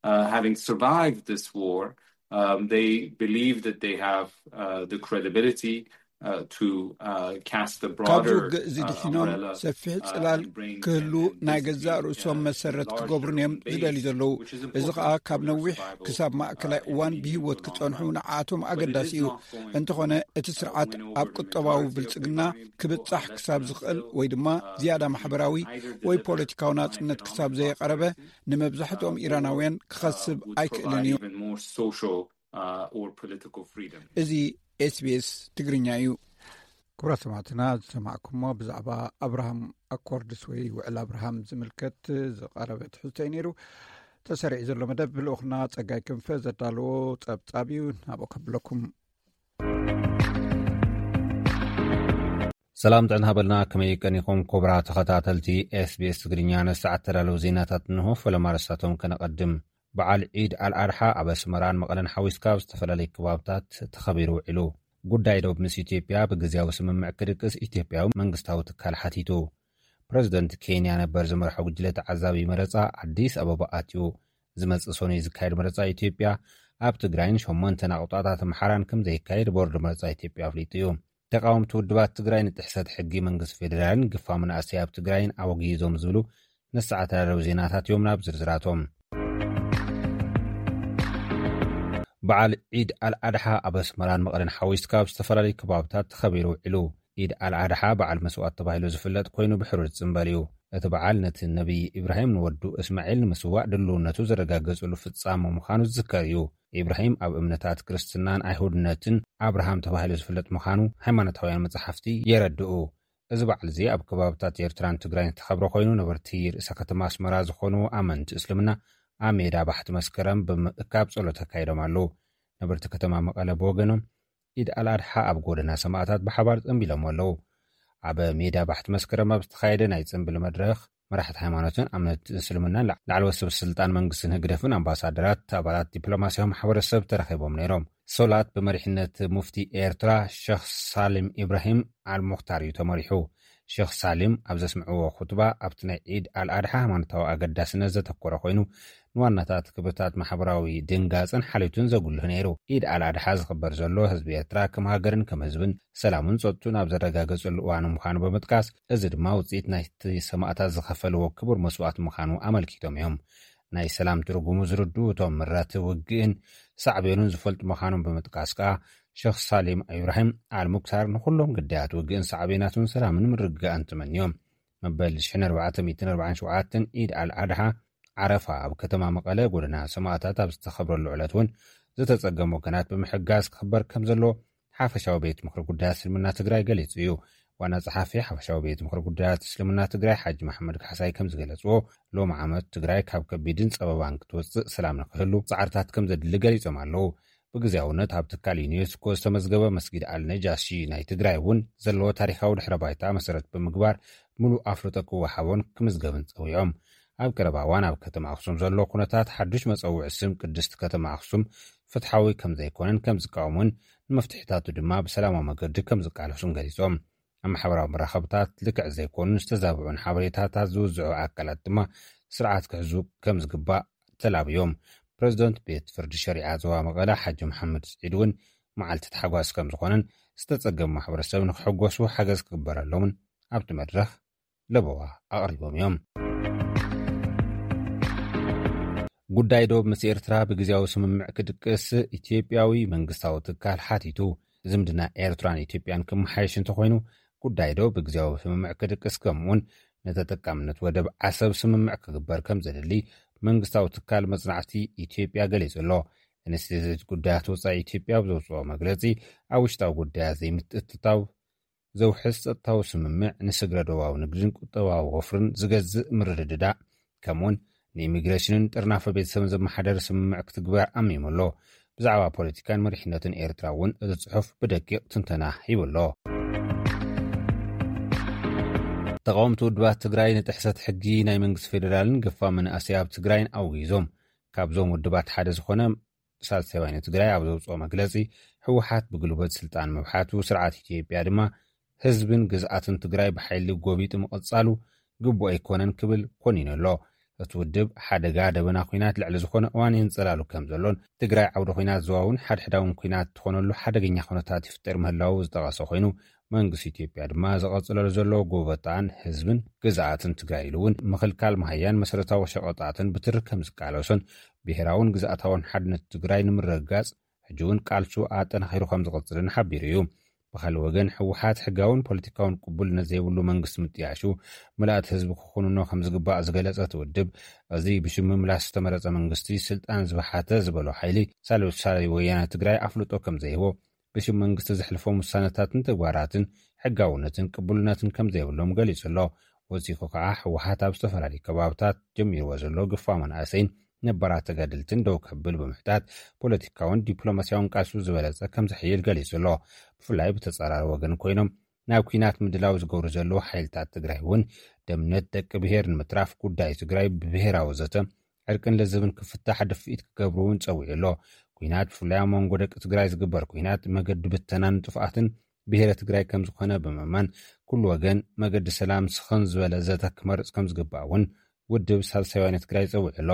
Uh, having survived this war, um, they believe that they have uh, the credibility uh, to uh, cast a ካብዚ broader ውግእ እዚ uh, ድሒኖም umbrella. ሰፊሕ ጽላል ክህሉ ናይ ገዛእ ርእሶም መሰረት ክገብሩ እዮም ዝደልዩ ዘለዉ። እዚ ኸኣ ካብ ነዊሕ ክሳብ ማእከላይ እዋን ብህይወት ክጸንሑ ንዓኣቶም ኣገዳሲ እዩ። እንተኾነ እቲ ስርዓት ኣብ ቁጠባዊ ብልጽግና ክብጻሕ ክሳብ ዝኽእል ወይ ድማ ዝያዳ ማሕበራዊ ወይ ፖለቲካዊ ናጽነት ክሳብ ዘየቐረበ ንመብዛሕትኦም ኢራናውያን ክኸስብ ኣይክእልን እዩ። Even more social uh, or political freedom. እዚ ኤስቢኤስ ትግርኛ እዩ። ክቡራት ሰማዕትና ዝሰማዕኩሞ ብዛዕባ ኣብርሃም ኣኮርድስ ወይ ውዕል ኣብርሃም ዝምልከት ዝቐረበ ትሕዝቶ እዩ ነይሩ። ተሰሪዑ ዘሎ መደብ ልኡኽና ጸጋይ ክንፈ ዘዳለዎ ጸብጻብ እዩ። ናብኡ ከብለኩም። ሰላም ጥዕና ሃበልና። ከመይ ቀኒኹም ክቡራት ተኸታተልቲ SBS ትግርኛ? ንሰዓት ተዳለዉ ዜናታት እንሆ። ፈለማ ርእስታቶም ከነቐድም። በዓል ዒድ ኣልኣድሓ ኣብ ኣስመራን መቐለን ሓዊስካ ኣብ ዝተፈላለዩ ከባብታት ተኸቢሩ ውዒሉ። ጉዳይ ዶብ ምስ ኢትዮጵያ ብግዜያዊ ስምምዕ ክድቅስ ኢትዮጵያዊ መንግስታዊ ትካል ሓቲቱ። ፕረዚደንት ኬንያ ነበር ዝመርሖ ጉጅለ ተዓዛቢ መረጻ ኣዲስ ኣበባ ኣትዩ። ዝመጽእ ሰኑይ ዝካየድ መረጻ ኢትዮጵያ ኣብ ትግራይን ሸሞንተን ኣቑጣታት ኣምሓራን ከም ዘይካየድ ቦርድ መረጻ ኢትዮጵያ ኣፍሊጡ እዩ። ተቃወምቲ ውድባት ትግራይ ንጥሕሰት ሕጊ መንግስቲ ፌዴራልን ግፋ መናእሰይ ኣብ ትግራይን ኣወጊዞም ዝብሉ ንሰዓት ተዳለዉ ዜናታት እዮም። ናብ ዝርዝራቶም። በዓል ዒድ ኣልኣድሓ ኣብ ኣስመራን መቐለን ሓዊስካ ኣብ ዝተፈላለዩ ከባብታት ተኸቢሩ ውዒሉ። ኢድ ኣልኣድሓ በዓል መስዋእት ተባሂሉ ዝፍለጥ ኮይኑ ብሕሩር ዝጽንበል እዩ። እቲ በዓል ነቲ ነቢይ ኢብራሂም ንወዱ እስማዒል ንምስዋእ ድልውነቱ ዘረጋገጽሉ ፍጻመ ምዃኑ ዝዝከር እዩ። ኢብራሂም ኣብ እምነታት ክርስትናን ኣይሁድነትን ኣብርሃም ተባሂሉ ዝፍለጥ ምዃኑ ሃይማኖታውያን መጻሕፍቲ የረድኡ። እዚ በዓል እዚ ኣብ ከባብታት ኤርትራን ትግራይን ዝተኸብረ ኮይኑ፣ ነበርቲ ርእሰ ከተማ ኣስመራ ዝኾኑ ኣመንቲ እስልምና ኣብ ሜዳ ባሕቲ መስከረም ብምእካብ ጸሎት ኣካይዶም ኣለዉ። ነበርቲ ከተማ መቐለ ብወገኖም፣ ኢድ ኣልኣድሓ ኣብ ጎደና ሰማእታት ብሓባር ጸንቢሎም ኣለዉ። ኣብ ሜዳ ባሕቲ መስከረም ኣብ ዝተኻየደ ናይ ጽንብል መድረኽ፣ መራሕቲ ሃይማኖትን ኣመንቲ እስልምናን ላዕ-፣ ላዕለዎት ሰብ ስልጣን መንግስትን ህግደፍን ኣምባሳደራት፣ ኣባላት ዲፕሎማስያዊ ማሕበረሰብ ተረኺቦም ነይሮም። ሶላት ብመሪሕነት ሙፍቲ ኤርትራ ሸኽ ሳሊም ኢብራሂም ኣልሙኽታር እዩ ተመሪሑ። ሸኽ ሳሊም ኣብ ዘስምዕዎ ኹጥባ፣ ኣብቲ ናይ ዒድ ኣልኣድሓ ሃይማኖታዊ ኣገዳስነት ዘተኮረ ኮይኑ፣ ንዋናታት ክብርታት ማሕበራዊ ድንጋጽን ሓልዮትን ዘጉልህ ነይሩ። ኢድ ኣልኣድሓ ዝኽበር ዘሎ ህዝቢ ኤርትራ ከም ሃገርን ከም ህዝብን ሰላሙን ጸጥቱን ኣብ ዘረጋገጸሉ እዋን ምዃኑ ብምጥቃስ፣ እዚ ድማ ውጽኢት ናይቲ ሰማእታት ዝኸፈልዎ ክቡር መስዋእቲ ምዃኑ ኣመልኪቶም እዮም። ናይ ሰላም ትርጉሙ ዝርድኡ እቶም ምረት ውግእን ሳዕቤኑን ዝፈልጡ ምዃኖም ብምጥቃስ ከኣ፣ ሸኽ ሳሊም ኢብራሂም ኣልሙክታር ንኹሎም ግዳያት ውግእን ሳዕቤናቱን ሰላምን ምርግጋእን ተመንዮም። መበል ሽሕን ኣርባዕተ ሚእትን ኣርባዓን ሸውዓተን ኢድ ኣልኣድሓ ዓረፋ ኣብ ከተማ መቐለ ጎደና ሰማእታት ኣብ ዝተኸብረሉ ዕለት እውን ዝተጸገሙ ወገናት ብምሕጋዝ ክኽበር ከም ዘለዎ ሓፈሻዊ ቤት ምኽሪ ጉዳያት እስልምና ትግራይ ገሊጹ እዩ። ዋና ጸሓፊ ሓፈሻዊ ቤት ምኽሪ ጉዳያት እስልምና ትግራይ ሓጂ መሓመድ ካሕሳይ ከም ዝገለጽዎ፣ ሎም ዓመት ትግራይ ካብ ከቢድን ጸበባን ክትወጽእ ሰላም ንክህሉ ጻዕርታት ከም ዘድሊ ገሊጾም ኣለዉ። ብግዜያውነት ኣብ ትካል ዩኔስኮ ዝተመዝገበ መስጊድ ኣልነጃሺ ናይ ትግራይ እውን ዘለዎ ታሪኻዊ ድሕረ ባይታ መሰረት ብምግባር፣ ምሉእ ኣፍልጦ ክወሃቦን ክምዝገብን ጸዊዖም። ኣብ ቀረባ እዋን ኣብ ከተማ ኣኽሱም ዘሎ ኩነታት ሓዱሽ መጸውዒ ስም ቅድስቲ ከተማ ኣኽሱም ፍትሓዊ ከም ዘይኮነን ከም ዝቃወሙን፣ ንመፍትሒታቱ ድማ ብሰላማዊ መገዲ ከም ዝቃለሱን ገሊጾም። ኣብ ማሕበራዊ መራኸብታት ልክዕ ዘይኮኑን ዝተዛብዑን ሓበሬታታት ዝውዝዑ ኣካላት ድማ ስርዓት ክሕዙ ከም ዝግባእ ተላብዮም። ፕረዚደንት ቤት ፍርዲ ሸሪዓ ዞባ መቐለ ሓጂ መሓመድ ስዒድ እውን፣ መዓልቲ ታሕጓስ ከም ዝኾነን ዝተጸገሙ ማሕበረሰብ ንክሕጎሱ ሓገዝ ክግበረሎምን ኣብቲ መድረኽ ለበዋ ኣቕሪቦም እዮም። ጉዳይ ዶብ ምስ ኤርትራ ብግዜያዊ ስምምዕ ክድቅስ ኢትዮጵያዊ መንግስታዊ ትካል ሓቲቱ። ዝምድና ኤርትራን ኢትዮጵያን ክመሓየሽ እንተኾይኑ፣ ጉዳይ ዶብ ብግዜያዊ ስምምዕ ክድቅስ፣ ከምኡውን ንተጠቃምነት ወደብ ዓሰብ ስምምዕ ክግበር ከም ዘድሊ መንግስታዊ ትካል መጽናዕቲ ኢትዮጵያ ገሊጹ ኣሎ። ኢንስቲትዩት ጉዳያት ወጻኢ ኢትዮጵያ ኣብ ዘውጽኦ መግለጺ፣ ኣብ ውሽጣዊ ጉዳያት ዘይምትእትታው ዘውሕስ ጸጥታዊ ስምምዕ ንስግረ ዶባዊ ንግድን ቁጠባዊ ወፍርን ዝገዝእ ምርድዳእ፣ ከምኡውን ንኢሚግሬሽንን ጥርናፈ ቤተሰብን ዘመሓደር ስምምዕ ክትግበር ኣሚሙ ኣሎ። ብዛዕባ ፖለቲካን መሪሕነትን ኤርትራ እውን እቲ ጽሑፍ ብደቂቕ ትንተና ሂቡ ኣሎ። ተቃወምቲ ውድባት ትግራይ ንጥሕሰት ሕጊ ናይ መንግስቲ ፌዴራልን ግፋ መናእሰይ ኣብ ትግራይን ኣውጊዞም። ካብዞም ውድባት ሓደ ዝኾነ ሳልሳይ ወያነ ትግራይ ኣብ ዘውፅኦ መግለፂ፣ ህወሓት ብጉልበት ስልጣን ምብሓቱ፣ ስርዓት ኢትዮጵያ ድማ ህዝብን ግዝኣትን ትግራይ ብሓይሊ ጎቢጡ ምቕፃሉ ግቡእ ኣይኮነን ክብል ኮኒኑ ኣሎ። እቲ ውድብ ሓደጋ ደበና ኲናት ልዕሊ ዝኾነ እዋን የንፀላሉ ከም ዘሎን፣ ትግራይ ዓውዲ ኲናት ዞባ እውን ሓድሕዳውን ኲናት ትኾነሉ ሓደገኛ ኩነታት ይፍጠር ምህላዉ ዝጠቐሰ ኮይኑ፣ መንግስቲ ኢትዮጵያ ድማ ዝቐፅለሉ ዘሎ ጎበጣን ህዝብን ግዝኣትን ትግራይ ኢሉ እውን ምኽልካል መሃያን መሰረታዊ ሸቐጣትን ብትሪ ከም ዝቃለሶን፣ ብሄራውን ግዝኣታውን ሓድነት ትግራይ ንምርግጋፅ ሕጂ እውን ቃልሱ ኣጠናኺሩ ከም ዝቕፅልን ሓቢሩ እዩ። ብኻልእ ወገን፣ ህወሓት ሕጋውን ፖለቲካውን ቅቡልነት ዘይብሉ መንግስቲ ምጥያሹ፣ ምልኣት ህዝቢ ክኹንኖ ከም ዝግባእ ዝገለጸ እቲ ውድብ፣ እዚ ብሽም ምምላስ ዝተመረጸ መንግስቲ ስልጣን ዝበሓተ ዝበሎ ሓይሊ፣ ሳልሳይ ወያነ ትግራይ ኣፍልጦ ከም ዘይህቦ፣ ብሽም መንግስቲ ዘሕልፎም ውሳነታትን ተግባራትን ሕጋውነትን ቅቡልነትን ከም ዘይብሎም ገሊጹ ኣሎ። ወሲኹ ከኣ፣ ህወሓት ኣብ ዝተፈላለዩ ከባብታት ጀሚርዎ ዘሎ ግፋ መናእሰይን ነባራት ተጋደልትን ደው ከብል ብምሕታት፣ ፖለቲካውን ዲፕሎማሲያውን ቃልሱ ዝበለጸ ከም ዘሕይል ገሊጹ ኣሎ። ብፍላይ ብተጻራሪ ወገን ኮይኖም ናብ ኲናት ምድላው ዝገብሩ ዘለዉ ሓይልታት ትግራይ እውን፣ ደምነት ደቂ ብሄር ንምትራፍ ጉዳይ ትግራይ ብብሄራዊ ዘተ ዕርቅን ለዘብን ክፍታሕ ድፍኢት ክገብሩ እውን ጸዊዑ ኣሎ። ኲናት፣ ብፍላይ ኣብ መንጎ ደቂ ትግራይ ዝግበር ኲናት፣ መገዲ ብተናን ጥፍኣትን ብሄረ ትግራይ ከም ዝኾነ ብምእማን፣ ኩሉ ወገን መገዲ ሰላም ስኽን ዝበለ ዘተ ክመርጽ ከም ዝግባእ እውን ውድብ ሳልሳይ ወያነ ትግራይ ጸዊዑ ኣሎ።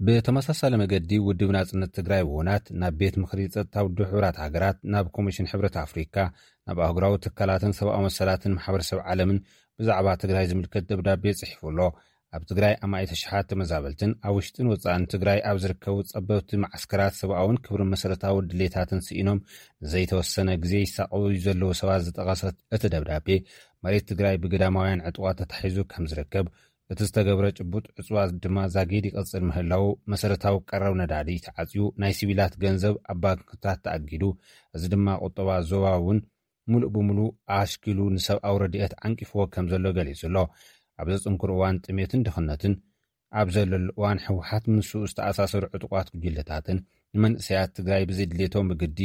ብተመሳሳሊ መገዲ፣ ውድብ ናጽነት ትግራይ ብውናት ናብ ቤት ምኽሪ ጸጥታ ውድብ ሕቡራት ሃገራት፣ ናብ ኮሚሽን ሕብረት ኣፍሪካ፣ ናብ ኣህጉራዊ ትካላትን ሰብኣዊ መሰላትን ማሕበረሰብ ዓለምን ብዛዕባ ትግራይ ዝምልከት ደብዳቤ ጽሒፉ ኣሎ። ኣብ ትግራይ ኣማኢት ኣሽሓት ተመዛበልትን ኣብ ውሽጥን ወጻእን ትግራይ ኣብ ዝርከቡ ጸበብቲ መዓስከራት ሰብኣውን ክብርን መሰረታዊ ድሌታትን ስኢኖም ንዘይተወሰነ ግዜ ይሳቐዩ ዘለዉ ሰባት ዝጠቐሰት እቲ ደብዳቤ፣ መሬት ትግራይ ብግዳማውያን ዕጡቓት ተታሒዙ ከም ዝርከብ፣ እቲ ዝተገብረ ጭቡጥ ዕጽዋ ድማ ዛጊድ ይቕጽል ምህላዉ፣ መሰረታዊ ቀረብ ነዳዲ ተዓጽዩ፣ ናይ ሲቪላት ገንዘብ ኣብ ባንክታት ተኣጊዱ፣ እዚ ድማ ቁጠባ ዞባ እውን ሙሉእ ብሙሉእ ኣሽኪሉ ንሰብኣዊ ረድኤት ዓንቂፍዎ ከም ዘሎ ገሊጹ ኣሎ። ኣብ ዘጽንክር እዋን ጥሜትን ድኽነትን ኣብ ዘለሉ እዋን፣ ህወሓት ምስኡ ዝተኣሳሰሩ ዕጡቓት ጉጅለታትን ንመንእሰያት ትግራይ ብዘድልየቶም ብግዲ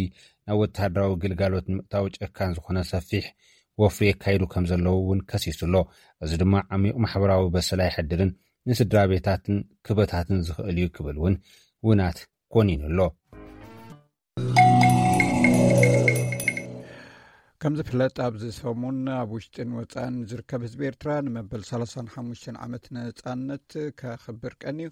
ናብ ወተሃደራዊ ግልጋሎት ንምእታው ጨካን ዝኾነ ሰፊሕ ወፍሪ የካይዱ ከም ዘለዉ እውን ከሲሱ ኣሎ። እዚ ድማ ዓሚቕ ማሕበራዊ በሰላ የሕድርን ንስድራ ቤታትን ክበታትን ዝኽእል እዩ ክብል እውን ውናት ኮኒኑ ኣሎ። ከም ዝፍለጥ፣ ኣብዚ ሰሙን ኣብ ውሽጥን ወጻእን ዝርከብ ህዝቢ ኤርትራ ንመበል ሰላሳን ሓሙሽተን ዓመት ነጻነት ከኽብር ቀንዩ።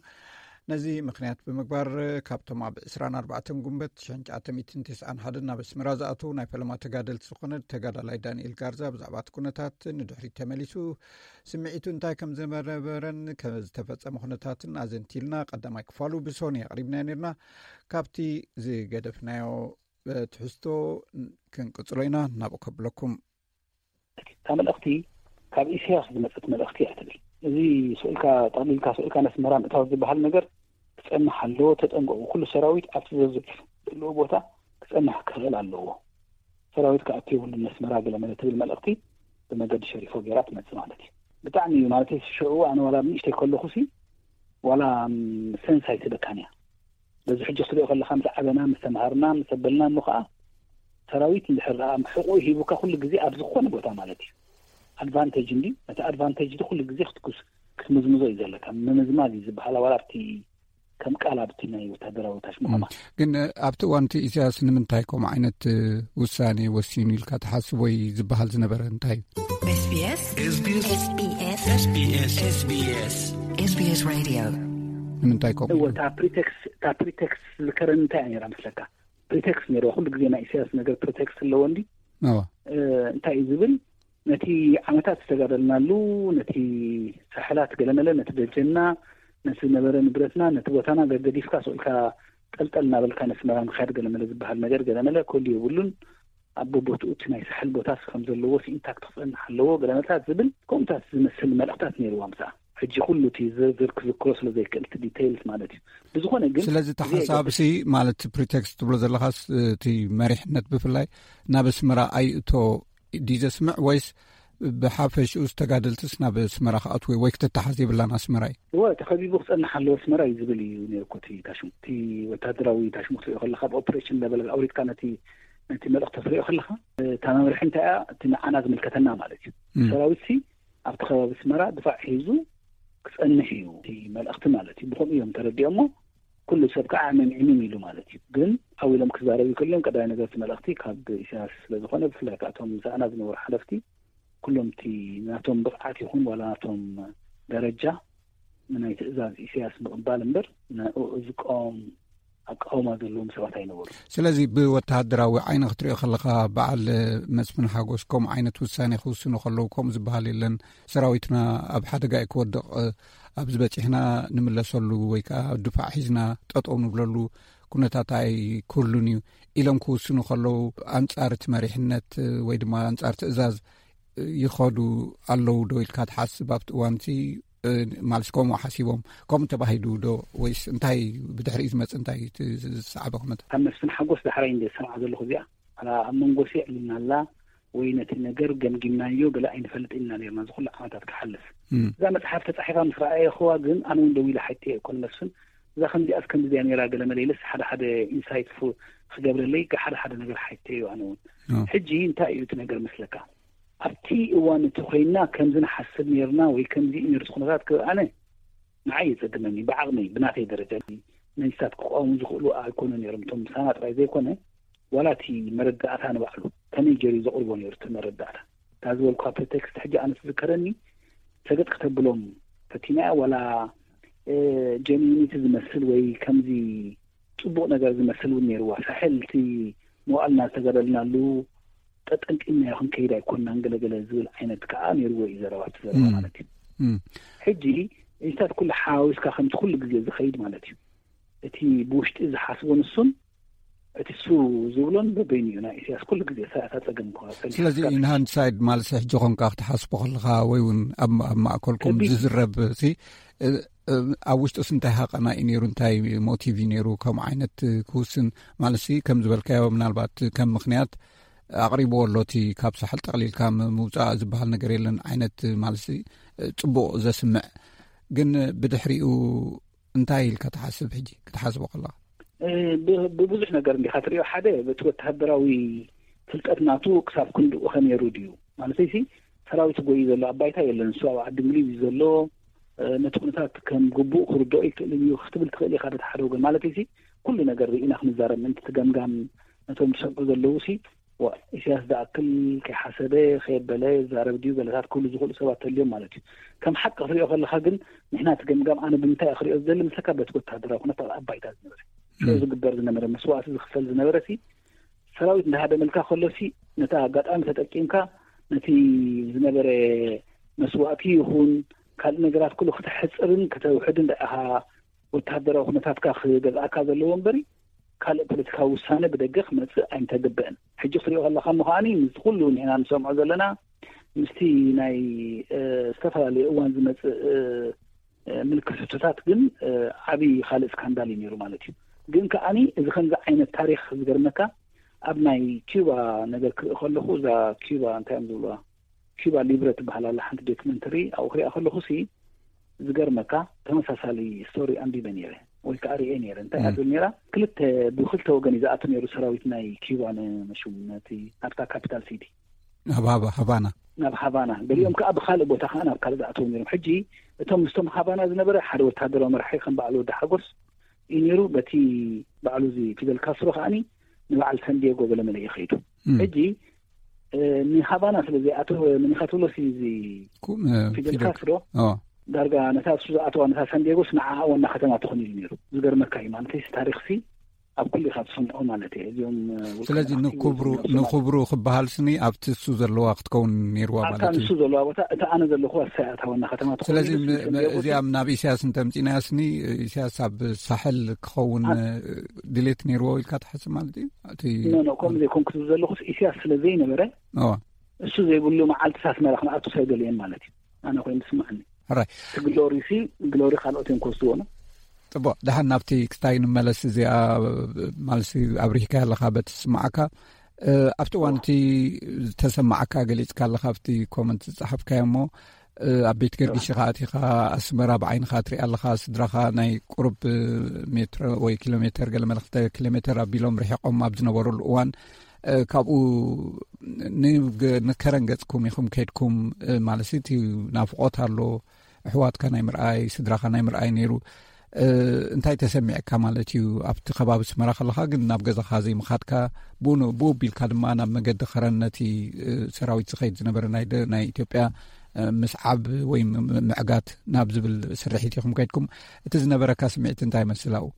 ነዚ ምኽንያት ብምግባር፣ ካብቶም ኣብ ዕስራን ኣርባዕተን ጉንበት ሽሕን ትሽዓተ ሚእትን ተስዓን ሓደን ናብ ኣስመራ ዝኣተዉ ናይ ፈለማ ተጋደልቲ ዝኾነ ተጋዳላይ ዳንኤል ጋርዛ ብዛዕባ እቲ ኩነታት ንድሕሪት ተመሊሱ ስምዒቱ እንታይ ከም ዝነበረን ከም ዝተፈጸመ ኩነታትን ኣዘንቲልና ቀዳማይ ክፋሉ ብሶኒ ኣቕሪብናዮ ነርና። ካብቲ ዝገደፍናዮ ትሕዝቶ ክንቅጽሎ ኢና። ናብኡ ከብለኩም። እታ መልእኽቲ ካብ ኢሳያስ ዝመጸት መልእኽቲ እያ ትብል። እዚ ስኢልካ፣ ጠቕሊልካ ስኢልካ ነስመራ ምእታው ዝበሃል ነገር ክጸንሕ ኣለዎ። ተጠንቀቑ። ኩሉ ሰራዊት ኣብቲ ዘዘ-፣ ዘለዎ ቦታ ክጸንሕ ክኽእል ኣለዎ። ሰራዊት ክኣቱ የብሉን ነስመራ ገለ መለ ትብል መልእኽቲ ብመገዲ ሸሪፎ ገይራ ትመጽእ ማለት እዩ። ብጣዕሚ እዩ ማለት እዩ። ሽዑ ኣነ ዋላ ኣብ ንእሽተይ ከለኹሲ ዋላ፣ ም፣ ሰንስ ኣይትበካን እያ። በዚ ሕጂ ክትሪኦ ከለኻ ምስ ዓበና፣ ምስ ተምሃርና፣ ምስ ኣበልና እሞ ኸዓ ሰራዊት እንድሕር ደኣ ሕቑኡ ሂቡካ ኩሉ ግዜ ኣብ ዝኾነ ቦታ ማለት እዩ። ኣድቫንቴጅ እንዲ፣ ነቲ ኣድቫንቴጅ ኩሉ ግዜ ክትኩስ-፣ ክትምዝምዞ እዩ ዘለካ። ምምዝማዝ እዩ ዝበሃል። ዋላ ኣብቲ ከም ቃል ኣብቲ ናይ ወታደራዊ ታሽሙ ከማ። ግን ኣብቲ እዋን እቲ ኢሳያስ ንምንታይ ከምኡ ዓይነት ውሳኔ ወሲኑ ኢልካ ትሓስብ ወይ ዝበሃል ዝነበረ እንታይ እዩ? ኤስቢኤስ። ኤስቢኤስ። ኤስቢኤስ። ኤስቢኤስ። ኤስቢኤስ። ኤስቢኤስ ሬድዮ። ንምንታይ ከምኡ እወ፣ ኢሉ? እታ ፕሪቴክስ፣ እታ ፕሪቴክስ ዝከረን እንታይ እያ ነይራ መስለካ? ፕሪቴክስ ነይርዋ። ኩሉ ግዜ ናይ ኢሳያስ ነገር ፕሪቴክስ ኣለዎ እንዲ። እወ። እ፣ እንታይ እዩ ዝብል? ነቲ ዓመታት ዝተጋደልናሉ፣ ነቲ ሳሕላት ገለመለ፣ ነቲ ደጀንና፣ ነቲ ዝነበረ ንብረትና፣ ነቲ ቦታና ገገዲፍካ ስቕ ኢልካ ጠልጠል እናበልካ ነስመራ ምኻድ ገለመለ ዝበሃል ነገር ገለመለ ክህሉ የብሉን። ኣብ ቦቦትኡ እቲ ናይ ሳሕል ቦታስ ከም ዘለዎ ኢንታክት ክጸንሕ ኣለዎ ገለመለታት ዝብል ከምኡታት ዝመስል መልእኽታት ነይርዋ ምስኣ። ሕጂ ኩሉ እቲ ዝርዝር ክዝክሮ ስለ ዘይክእል እቲ ዲቴይልስ ማለት እዩ። ብዝኾነ ግን ስለዚ እቲ እዚ ሓሳብሲ ማለት ፕሪቴክስት ትብሎ ዘለኻስ እቲ መሪሕነት ብፍላይ ናብ ኣስመራ ኣይእቶ ድዩ ዘስምዕ ወይስ ብሓፈሽኡ ዝተጋደልትስ ናብ ኣስመራ ክኣትዉ ወይ ክትተሓዝ የብላን ኣስመራ እዩ? እወ፣ ተኸቢቡ ክጸንሕ ኣለዎ ኣስመራ እዩ ዝብል እዩ ነይሩ እኮ እቲ ታሽሙ። እቲ ወታደራዊ ታሽሙ ክትሪኦ ከለኻ፣ ኣብ ኦፕሬሽን ለበል ኣውሪድካ ነቲ፣ ነቲ መልእኽቲ ክትሪኦ ከለኻ፣ እታ መምርሒ እንታይ እያ? እቲ ንዓና ዝምልከተና ማለት እዩ። እም። ሰራዊትሲ ኣብቲ ከባቢ ኣስመራ ድፋዕ ሒዙ ክጸንሕ እዩ እቲ መልእኽቲ ማለት እዩ። ብኸምኡ እዮም ተረዲኦሞ። ኩሉ ሰብ ከዓ ዕምም ዕምም ኢሉ ማለት እዩ። ግን ዓው ኢሎም ክዛረቡ ይክእሉ እዮም። ቀዳማይ ነገር እቲ መልእኽቲ ካብ ኢሳያስ ስለ ዝኾነ፣ ብፍላይ ከዓ እቶም ምስኣና ዝነበሩ ሓለፍቲ ኩሎም እቲ ናቶም ብቕዓት ይኹን ዋላ ናቶም ደረጃ ንናይ ትእዛዝ ኢሳያስ ምቕባል እምበር ንኡ ዝቃወም ኣቃውማ ዘለዎም ሰባት ኣይነበሩ። ስለዚ ብወተሃደራዊ ዓይኒ ክትሪኦ ከለኻ በዓል መስፍን ሓጎስ ከምኡ ዓይነት ውሳኔ ክውስኑ ከለዉ ከምኡ ዝበሃል የለን። ሰራዊትና ኣብ ሓደጋ እዩ ክወድቕ፣ ኣብዚ በጺሕና ንምለሰሉ ወይ ከዓ ድፋዕ ሒዝና ጠጠው ንብለሉ ኩነታት ኣይክህሉን እዩ ኢሎም ክውስኑ ከለዉ ኣንጻር እቲ መሪሕነት ወይ ድማ ኣንጻር ትእዛዝ ይኸዱ ኣለዉ ዶ ኢልካ ትሓስብ ኣብቲ እዋንሲ? ማለት ከምኡ ሓሲቦም ከምኡ ተባሂሉ ዶ ወይስ እንታይ ብድሕሪኡ ዝመጽእ እንታይ እቲ ዝሰዓበ ኩነታት? ካብ መስፍን ሓጎስ ዳሕራይ እንደ ዝሰምዓ ዘለኹ እዚኣ፣ ኣላ ኣብ መንጎ ሲ ዕሊልና ኣላ፣ ወይ ነቲ ነገር ገምጊምናዮ ገለ ኣይንፈልጥ ኢና ነርና ዝኹሉ ዓመታት ክሓልፍ። እዛ መጽሓፍ ተጻሒፋ ምስ ረኣየኽዋ ግን ኣነ እውን ደው ኢለ ሓይተየ እኮ ንመስፍን፣ እዛ ከምዚኣስ ከምዚኣ ነራ ገለ መለይለስ ሓደ ሓደ ኢንሳይት ክገብረለይ ሓደ ሓደ ነገር ሓይተዮ ኣነ እውን። ሕጂ እንታይ እዩ እቲ ነገር መስለካ? ኣብቲ እዋን እቲ ኮይና ከምዚ ንሓስብ ነርና ወይ ከምዚ እዩ ነሩ እቲ ኩነታት ክብል ኣነ ንዓይ የጸግመኒ። ብዓቕመይ ብናተይ ደረጃ መንግስታት ክቋወሙ ዝኽእሉ ኣይኮኑ ነሮም እቶም ምሳና ጥራይ ዘይኮነ ዋላ እቲ መረዳእታ ንባዕሉ ከመይ ገይሩ ዘቕርቦ ነሩ እቲ መረዳእታ እታ ዝበልኳ ፕሪቴክስት ሕጂ ኣነ ትዝከረኒ ሰገጥ ክተብሎም ፈቲናያ ዋላ ጀኒኒቲ ዝመስል ወይ ከምዚ ጽቡቕ ነገር ዝመስል እውን ነይርዋ። ሳሕል እቲ መዋእልና ዝተገደልናሉ ጠጠንጢናዮ ክንከይድ ኣይኮንናን ገለገለ ዝብል ዓይነት ከዓ ነይርዎ እዩ ዘረባ እቲ ዘረባ ማለት እዩ። ሕጂ እዚታት ኩሉ ሓዋዊስካ ከምቲ ኩሉ ግዜ ዝኸይድ ማለት እዩ። እቲ ብውሽጢ ዝሓስቦ ንሱን እቲ ሱ ዝብሎን በበይኑ እዩ ናይ ኢሳያስ ኩሉ ግዜ እታ ጸገም ስለዚ ኢንሃንድሳይድ ማለት ሕጂ ኮንካ ክትሓስቦ ከለካ ወይ እውን ኣብ ማእከልኩም ዝዝረብ ሲ ኣብ ውሽጡስ እንታይ ሃቐና እዩ ነይሩ እንታይ ሞቲቭ እዩ ነይሩ ከምኡ ዓይነት ክውስን ማለት ሲ ከም ዝበልካዮ ምናልባት ከም ምክንያት ኣቕሪብዎ ኣሎ እቲ ካብ ሳሕል ጠቕሊልካ ምውፃእ ዝበሃል ነገር የለን ዓይነት ማለት ጽቡቕ ዘስምዕ ግን ብድሕሪኡ እንታይ ኢልካ ትሓስብ ሕጂ ክትሓስቦ ከለካ ብብዙሕ ነገር እንዲካ ትሪኦ ሓደ በቲ ወተሃደራዊ ፍልጠት ናቱ ክሳብ ክንድኡ ከነይሩ ድዩ ማለተይሲ ሰራዊት ጎዩ ዘሎ ኣብ ባይታ የለን እሱ ኣብ ዓዲ እንግሊዝ እዩ ዘሎ ነቲ ኩነታት ከም ግቡእ ክርድኦ ይክእልን እዩ ክትብል ትኽእል ኢካ በቲ ሓደ ወገን ማለተይሲ ኩሉ ነገር ርኢና ክንዛረብ ምእንቲ ትገምጋም ነቶም ዝሰምዑ ዘለዉ ሲ ኢሳያስ ዝኣክል ከይሓሰበ ከየበለ ዛረብ ድዩ ገለታት ክብሉ ዝኽእሉ ሰባት ተልዮም ማለት እዩ ከም ሓቂ ክትሪኦ ከለካ ግን ንሕና ትገምጋም ኣነ ብምንታይ ክሪኦ ዝደሊ ምስለካ በቲ ወታደራዊ ኩነታት ኣብ ባይታ ዝነበረ ሽዑ ዝግበር ዝነበረ መስዋእቲ ዝክፈል ዝነበረ ሲ ሰራዊት እንዳሃደመልካ ከሎ ሲ ነታ ኣጋጣሚ ተጠቂምካ ነቲ ዝነበረ መስዋእቲ ይኹን ካልእ ነገራት ኩሉ ክተሕፅርን ክተውሕድን ደኣ ኢኻ ወተሃደራዊ ኩነታትካ ክገዝኣካ ዘለዎ እምበሪ ካልእ ፖለቲካዊ ውሳነ ብደገ ክመፅእ ኣይምተግበእን። ሕጂ ክትሪኦ ከለካ እሞ ከዓኒ ምስቲ ኩሉ ንሕና ንሰምዖ ዘለና ምስቲ ናይ ዝተፈላለዩ እዋን ዝመፅእ ምልክት ሕቶታት ግን ዓብዪ ካልእ ስካንዳል እዩ ነይሩ ማለት እዩ። ግን ከዓኒ እዚ ከምዚ ዓይነት ታሪክ ዝገርመካ ኣብ ናይ ኪዩባ ነገር ክርኢ ከለኹ እዛ ኪዩባ እንታይ እዮም ዝብልዋ ኪባ ሊብረ ትበሃል ኣላ ሓንቲ ዶክመንተሪ ኣብኡ ክሪኣ ከለኹ ሲ ዝገርመካ ተመሳሳሊ ስቶሪ ኣንቢበ ነይረ ወይ ከዓ ርኤ ነይረ እንታይ እያ ትብል ነይራ ክልተ ብክልተ ወገን እዩ ዝኣቱ ነይሩ ሰራዊት ናይ ኪባ ንመሹም ነቲ ናብታ ካፒታል ሲቲ ናብ ሃባ- ሃቫና ናብ ሃቫና ገሊኦም ከዓ ብካልእ ቦታ ከዓ ናብ ካልእ ዝኣተው ነይሮም ሕጂ እቶም ምስቶም ሃቫና ዝነበረ ሓደ ወታደራዊ መራሒ ከም በዓል ወዲ ሓጎስ እዩ ነይሩ በቲ ባዕሉ እዚ ፊደል ካስትሮ ከዓኒ ንበዓል ሳንዲየጎ ገለመለ እዩ ከይዱ ሕጂ ንሃቫና ስለ ዘይኣተወ መን ኢኻ ትብሎ እዚ ፊደል ካስትሮ ዳርጋ ነታ እሱ ዝኣተዋ ነታ ሳንዲያጎስ ንዓኣ ዋና ከተማ ትኾን ኢሉ ነይሩ ዝገርመካ እዩ ማለት እዚ ታሪክ ሲ ኣብ ኩሉ ኢኻ ትሰምዖ ማለት እየ እዚኦም ስለዚ ንክብሩ ንክብሩ ክበሃል ስኒ ኣብቲ እሱ ዘለዋ ክትከውን ነይርዋ ኣብታ ማለት እዩ ንሱ ዘለዋ ቦታ እታ ኣነ ዘለኹ ኣሳይ ኣታ ዋና ከተማ ትኾን ስለዚ ኢሉ ስኒ ም- ም- ሳንዲያጎ እዚኣ ናብ ኢሳያስ እንተምፂናያ ስኒ ኢሳያስ ኣብ ሳሕል ክኸውን ድሌት ነይርዎ ኢልካ ትሓስብ ማለት እዩ እቲ ኖ ኖ ከምኡ ዘይኮንኩ ዝብል ዘለኹስ ኢሳያስ ስለ ዘይነበረ እዋ እሱ ዘይብሉ መዓልትስ ኣስመራ ክንኣቱ ኣይደለየን ማለት እዩ ኣነ ኮይኑ ዝስምዓኒ ሕራይ እቲ ግሎሪ ሲ ግሎሪ ካልኦት እዮም ክወስድዎ ነው ፅቡቅ ደሓን ናብቲ ክስታይ ንመለስ እዚኣ ማለት ኣብሪህካ ኣለካ በቲ ዝስማዓካ ኣብቲ እዋን እቲ ዝተሰማዓካ ገሊፅካ ኣለካ ኣብቲ ኮመንት ዝፀሓፍካዮ እሞ ኣብ ቤት ገርግሽ ኢኻ ኣቲኻ ኣስመራ ብዓይንኻ ትሪኣ ኣለኻ ስድራኻ ናይ ቁሩብ ሜትሮ ወይ ኪሎ ሜተር ገለ መለ ክልተ ኪሎ ሜተር ኣቢሎም ርሒቖም ኣብ ዝነበሩሉ እዋን ካብኡ ንከረን ገፅኩም ኢኹም ከይድኩም ማለት እቲ ናፍቖት ኣሎ ኣሕዋትካ ናይ ምርኣይ ስድራኻ ናይ ምርኣይ ነይሩ እንታይ ተሰሚዕካ ማለት እዩ ኣብቲ ከባቢ ኣስመራ ከለኻ ግን ናብ ገዛኻ ዘይምኻድካ ብኡ ብኡ ኣቢልካ ድማ ናብ መገዲ ከረን ነቲ ሰራዊት ዝኸይድ ዝነበረ ናይ ናይ ኢትዮጵያ ምስዓብ ወይ ምዕጋት ናብ ዝብል ስርሒት ኢኹም ከይድኩም እቲ ዝነበረካ ስምዒት እንታይ ይመስል ኣብኡ